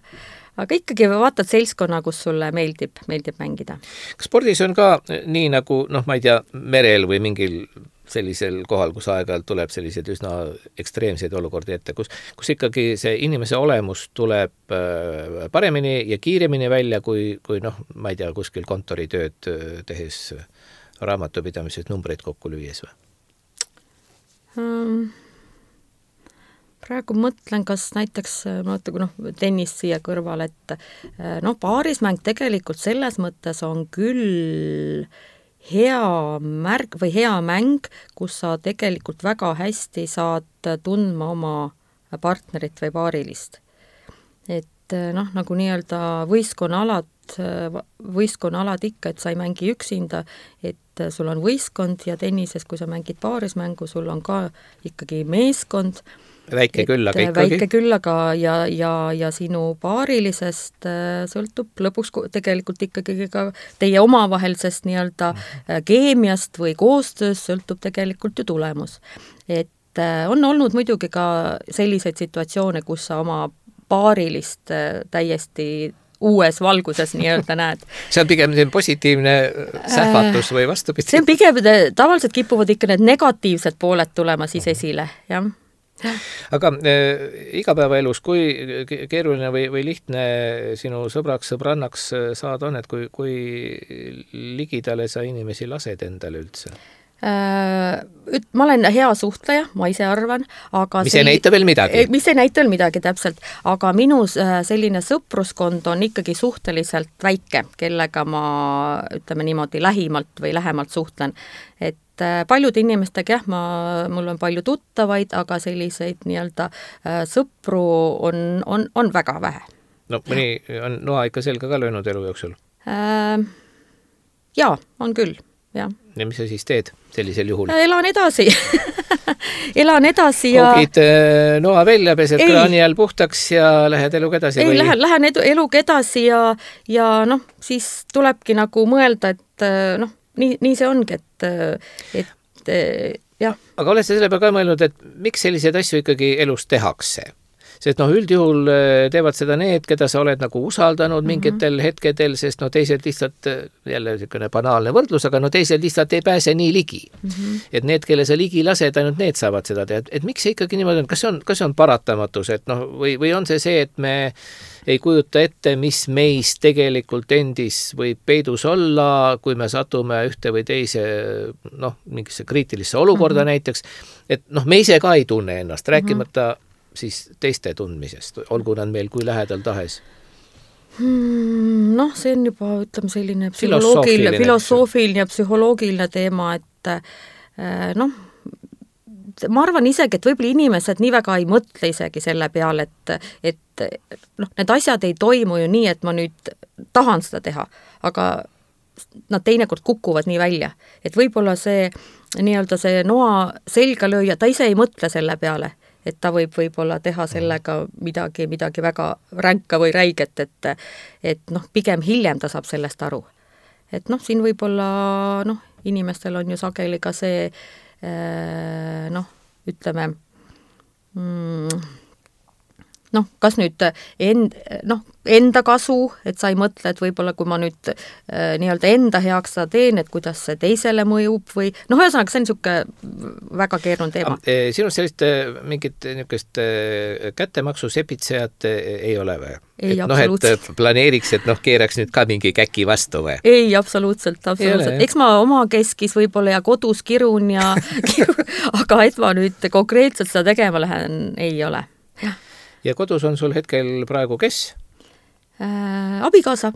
Aga ikkagi vaatad seltskonna, kus sulle meeldib mängida. Kas spordis on ka nii nagu, ma ei tea, merel või mingil sellisel kohal, kus aeg-ajalt tuleb sellised üsna ekstreemseid olukordi ette, kus ikkagi see inimese olemus tuleb paremini ja kiiremini välja, kui ma ei tea, kuskil kontoritööd tehes raamatupidamises numbreid kokku lüües või? Praegu mõtlen, kas näiteks tennis siia kõrval, et paarismäng tegelikult selles mõttes on küll hea märk või hea mäng, kus sa tegelikult väga hästi saad tundma oma partnerit või paarilist. Et nagu nii-öelda võistkonnaalad ikka, et sa ei mängi üksinda, et sul on võistkond ja tennises, kui sa mängid paarismängu, sul on ka ikkagi meeskond. Väike küll, aga ja sinu paarilisest sõltub lõpuks tegelikult ikkagi ka teie omavahelisest nii-öelda keemiast või koostöös sõltub tegelikult ju tulemus. Et on olnud muidugi ka selliseid situatsioone, kus sa oma paarilist täiesti uues valguses nii-öelda näed. See on pigem positiivne sähvatus või vastupidi? See on pigem, tavaliselt kipuvad ikka need negatiivsed pooled tulema siis esile, jah. Aga igapäevaelus, kui keeruline või lihtne sinu sõbrannaks saad on, et kui ligidale sa inimesi lased endale üldse? Ma olen hea suhtleja, ma ise arvan, aga mis ei näita veel midagi. Mis ei näita veel midagi, täpselt. Aga minu selline sõpruskond on ikkagi suhteliselt väike, kellega ma, ütleme niimoodi, lähimalt või lähemalt suhtlen. Et paljud inimestega, mul on palju tuttavaid, aga selliseid nii-öelda sõpru on väga vähe. No mõni on noa ikka selga ka löönud elu jooksul? Jaa, on küll, jah. Ja mis sa siis teed sellisel juhul? Elan edasi ja... Kogid noa välja, pesed kraani all puhtaks ja lähed eluga edasi? Ei, lähen eluga edasi ja siis tulebki nagu mõelda, et nii see ongi, et jah. Aga oled sa selle peale ka mõelnud, et miks selliseid asju ikkagi elus tehakse? Sest üldjuhul teevad seda need, keda sa oled nagu usaldanud mingitel hetkedel, sest teised lihtsalt, jälle selline banaalne võrdlus, aga teised lihtsalt ei pääse nii ligi. Et need, kelle sa ligi lased, ainult need saavad seda teha. Et miks see ikkagi niimoodi on? Kas see on paratamatus? Et või on see, et me ei kujuta ette, mis meis tegelikult endis võib peidus olla, kui me satume ühte või teise mingisse kriitilisse olukorda näiteks. Et me ise ka ei tunne ennast, rääkimata siis teiste tundmisest, olgu nad meil kui lähedal tahes? Noh, see on juba, ütleme, selline filosoofiline ja psühholoogiline teema, et noh, ma arvan isegi, et võib-olla inimesed nii väga ei mõtle isegi selle peale, et noh, need asjad ei toimu ju nii, et ma nüüd tahan seda teha, aga nad teinekord kukuvad nii välja, et võib-olla see nii-öelda see noa selga lööja, ta ise ei mõtle selle peale, et ta võib-olla teha sellega midagi väga ränka või räiget, et noh, pigem hiljem ta saab sellest aru. Et noh, siin võib-olla noh, inimestel on ju sageli ka see noh, ütleme noh, kas nüüd enda kasu, et sa ei mõtle, et võib-olla kui ma nüüd nii-öelda enda heaks seda teen, et kuidas see teisele mõjub või noh, ühesõnaga see on niisugune väga keeruline teema. Sinust sellist mingit niisugust kättemaksu sepitsejat ei ole või? Ei, et planeeriks, et keeraks nüüd ka mingi käki vastu või? Ei, absoluutselt. Eks ma oma keskis võib-olla ja kodus kirun ja aga et ma nüüd konkreetselt seda tegema lähen, ei ole. Ja kodus on sul hetkel praegu kes? Abikaasa.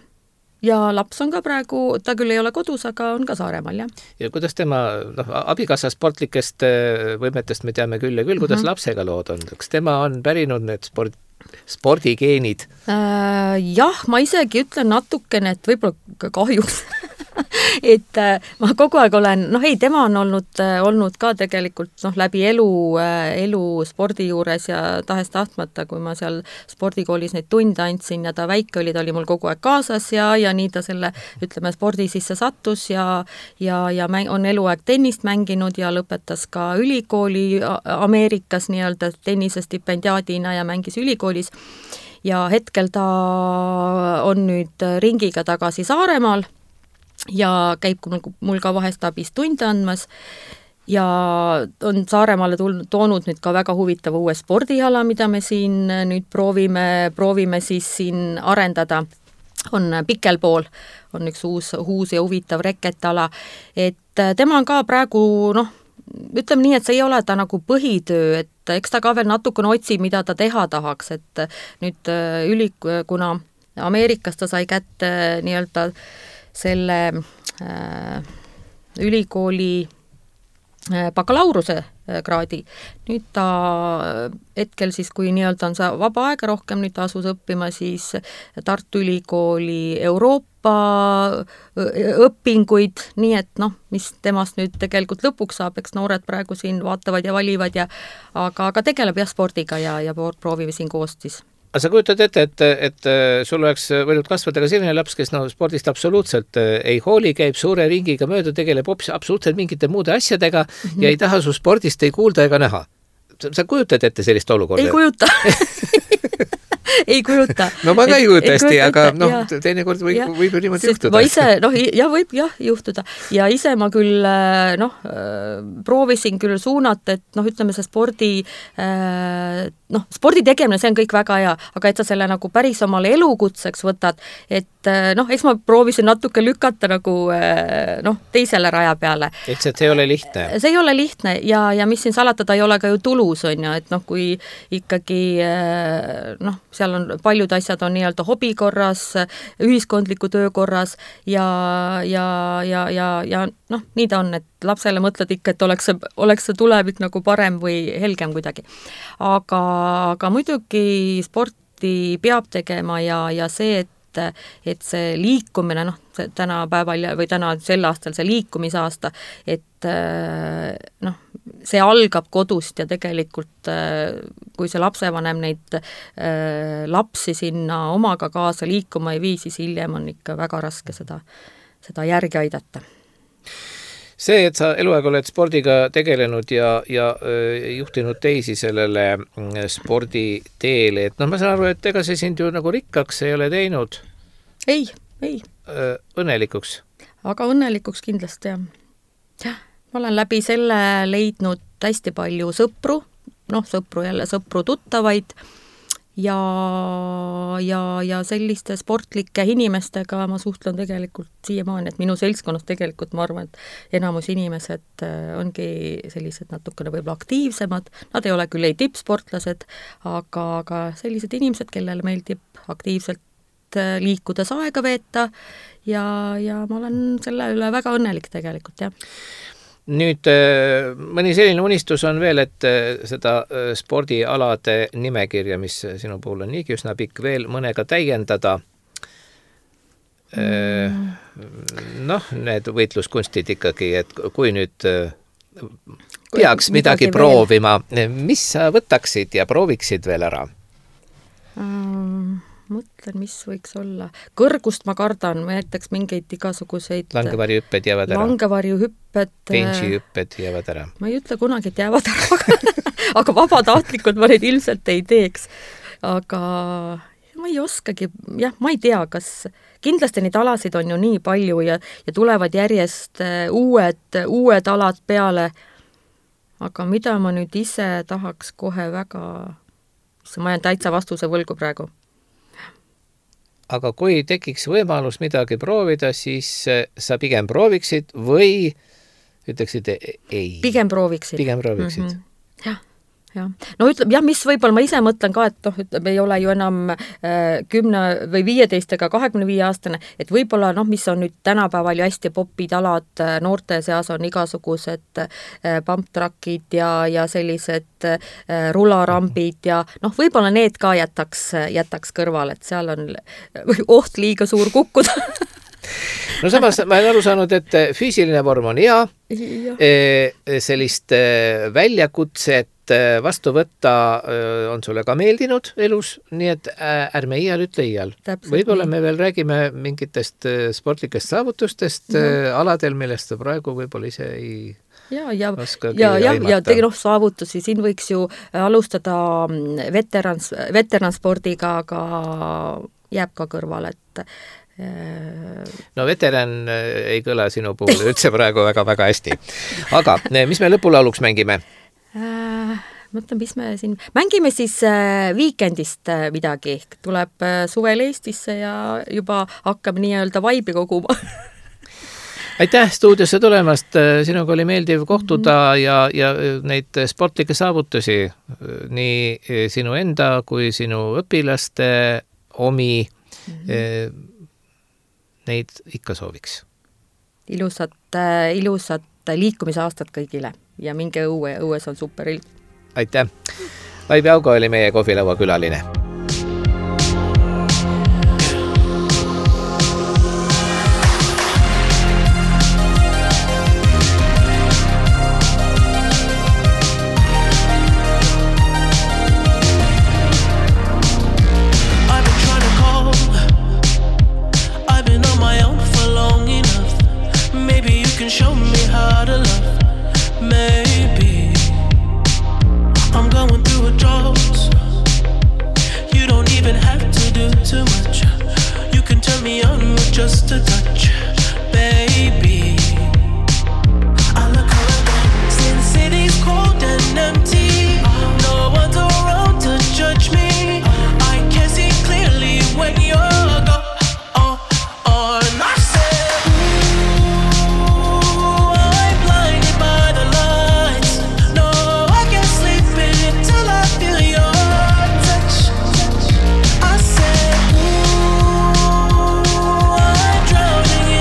Ja laps on ka praegu, ta küll ei ole kodus, aga on ka Saaremaal, jah. Ja kuidas tema, abikaasa sportlikest võimetest me teame küll ja küll, kuidas lapsega lood on? Kas tema on pärinud need spordigeenid? Jah, ma isegi ütlen natukene, et võib-olla kahjuks. Et ma kogu aeg olen, tema on olnud ka tegelikult läbi elu spordi juures ja tahes tahtmata, kui ma seal spordikoolis neid tunde andsin ja ta väike oli, ta oli mul kogu aeg kaasas ja nii ta selle, ütleme, spordi sisse sattus ja on eluaeg tennist mänginud ja lõpetas ka ülikooli Ameerikas nii-öelda tennisestipendiaadina ja mängis ülikoolis. Ja hetkel ta on nüüd ringiga tagasi Saaremaal ja käib mul ka vahest abis tunde andmas ja on Saaremaale toonud nüüd ka väga huvitava uue spordiala, mida me siin nüüd proovime siis siin arendada. On pikelpool, on üks uus ja huvitav reketala, et tema on ka praegu, ütleme nii, et see ei ole ta nagu põhitöö, et eks ta ka veel natukene otsib, mida ta teha tahaks, et nüüd kuna Ameerikas ta sai kätte nii-öelda selle ülikooli bakalaureuse kraadi. Nüüd ta hetkel siis, kui nii-öelda on see vaba aega rohkem, nüüd ta asus õppima siis Tartu Ülikooli Euroopa õpinguid, nii et mis temast nüüd tegelikult lõpuks saab, eks noored praegu siin vaatavad ja valivad aga tegeleb jah spordiga ja proovime siin koos siis. Aga sa kujutad ette, et sul oleks võinud kasvada ka selline laps, kes spordist absoluutselt ei hooli, käib suure ringiga mööda, tegeleb absoluutselt mingite muude asjadega ja ei taha su spordist ei kuulda ega näha. Sa kujutad ette sellist olukorda? Ei kujuta. Ei kujuta. No ma ka ei kujuta hästi, aga teinekord võib ju niimoodi juhtuda. Ma ise, võib juhtuda. Ja ise ma küll, proovisin küll suunata, et ütleme see spordi tegemine, see on kõik väga hea, aga et sa selle nagu päris omale elukutseks võtad, et eks ma proovisin natuke lükata nagu teisele raja peale. Et see ei ole lihtne. See ei ole lihtne ja mis siin salata, ta ei ole ka ju tulus, on ju, et kui ikkagi seal on paljud asjad on nii-öelda hobi korras, ühiskondliku töö korras ja nii ta on, et lapsele mõtled ikka, et oleks see tulevik nagu parem või helgem kuidagi. Aga muidugi sporti peab tegema ja see, et see liikumine, tänapäeval või sel aastal see liikumisaasta, et see algab kodust ja tegelikult kui see lapsevanem neid lapsi sinna omaga kaasa liikuma ei vii, siis hiljem on ikka väga raske seda järgi aidata. See, et sa eluaeg oled spordiga tegelenud ja juhtinud teisi sellele sporditeele, et ma saan aru, et ega see sind ju nagu rikkaks ei ole teinud? Ei. Õnnelikuks? Aga õnnelikuks kindlasti, jah. Ma olen läbi selle leidnud hästi palju sõpru tuttavaid ja selliste sportlike inimestega ma suhtlen tegelikult siiamaani, et minu seltskonnas tegelikult ma arvan, et enamus inimesed ongi sellised natukene võib-olla aktiivsemad, nad ei ole küll ei tippsportlased, aga sellised inimesed, kellele meeldib aktiivselt liikudes aega veeta ja ma olen selle üle väga õnnelik tegelikult, jah. Nüüd mõni selline unistus on veel, et seda spordialade nimekirja, mis sinu puhul on niigi üsna pikk, veel mõnega täiendada. Need võitluskunstid ikkagi, et kui nüüd peaks midagi proovima, mis sa võtaksid ja prooviksid veel ära? Mõtlen, mis võiks olla. Kõrgust ma kardan, näiteks mingeid igasuguseid langevarjuhüpped jäävad ära. Langevarjuhüpped. Benchihüpped jäävad ära. Ma ei ütle kunagi, et jäävad ära, aga vabatahtlikult ma neid ilmselt ei teeks. Aga ma ei oskagi, jah, ma ei tea, kas kindlasti neid alasid on ju nii palju ja tulevad järjest uued alad peale. Aga mida ma nüüd ise tahaks kohe väga, ma jään täitsa vastuse võlgu praegu. Aga kui tekiks võimalus midagi proovida, siis sa pigem prooviksid või ütleksid ei? Pigem prooviksid. Mm-hmm. Jah. No ütleb, jah, mis võib-olla ma ise mõtlen ka, et ei ole ju enam 10 või 15 ega 25 aastane, et võib-olla, mis on nüüd tänapäeval ju hästi popid alad, noorte seas on igasugused pumptrackid ja sellised rularambid ja võib-olla need ka jätaks kõrval, et seal on oht liiga suur kukkuda. No samas ma olen aru saanud, et füüsiline vorm on hea, sellist väljakutset vastu võtta on sulle ka meeldinud elus, nii et ärme iial ütle iial. Võib-olla me veel räägime mingitest sportlikest saavutustest aladel, millest sa praegu võib-olla ise ei oskagi aimata. Ja saavutusi, siin võiks ju alustada veteranspordiga, aga jääb ka kõrval, et no veteran ei kõla sinu puhul üldse praegu väga-väga hästi. Aga mis me lõpulauluks mängime? Mõtlen, mis me siin mängime siis Weekendist midagi. Tuleb suvel Eestisse ja juba hakkab nii-öelda vaibi koguma. Aitäh stuudiosse tulemast. Sinuga oli meeldiv kohtuda ja neid sportlikke saavutusi nii sinu enda kui sinu õpilaste omi neid ikka sooviks. Ilusat liikumisaastat kõigile ja minge õues on super ilm. Aitäh! Vaibi Augo oli meie kohvilaua külaline. Just a touch, baby. I look around, see the city's cold and empty. No one's around to judge me. I can see clearly when you're gone. And I said, ooh, I'm blinded by the lights. No, I can't sleep until I feel your touch. I said, ooh, I'm drowning in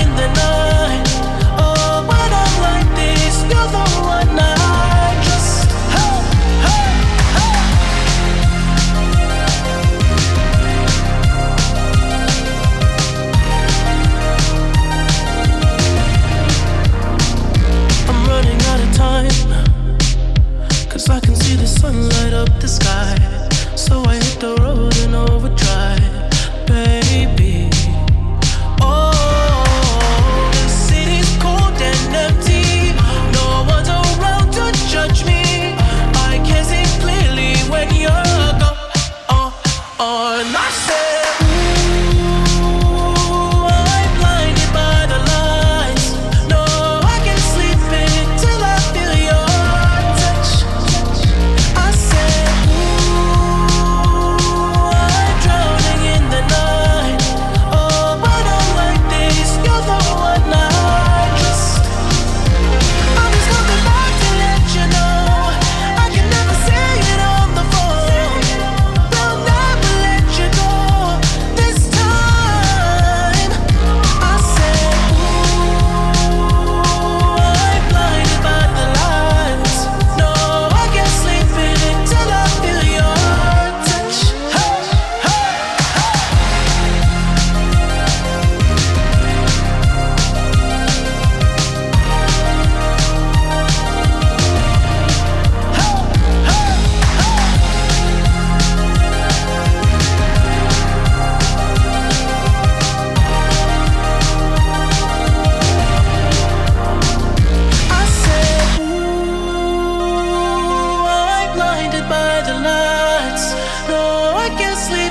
can sleep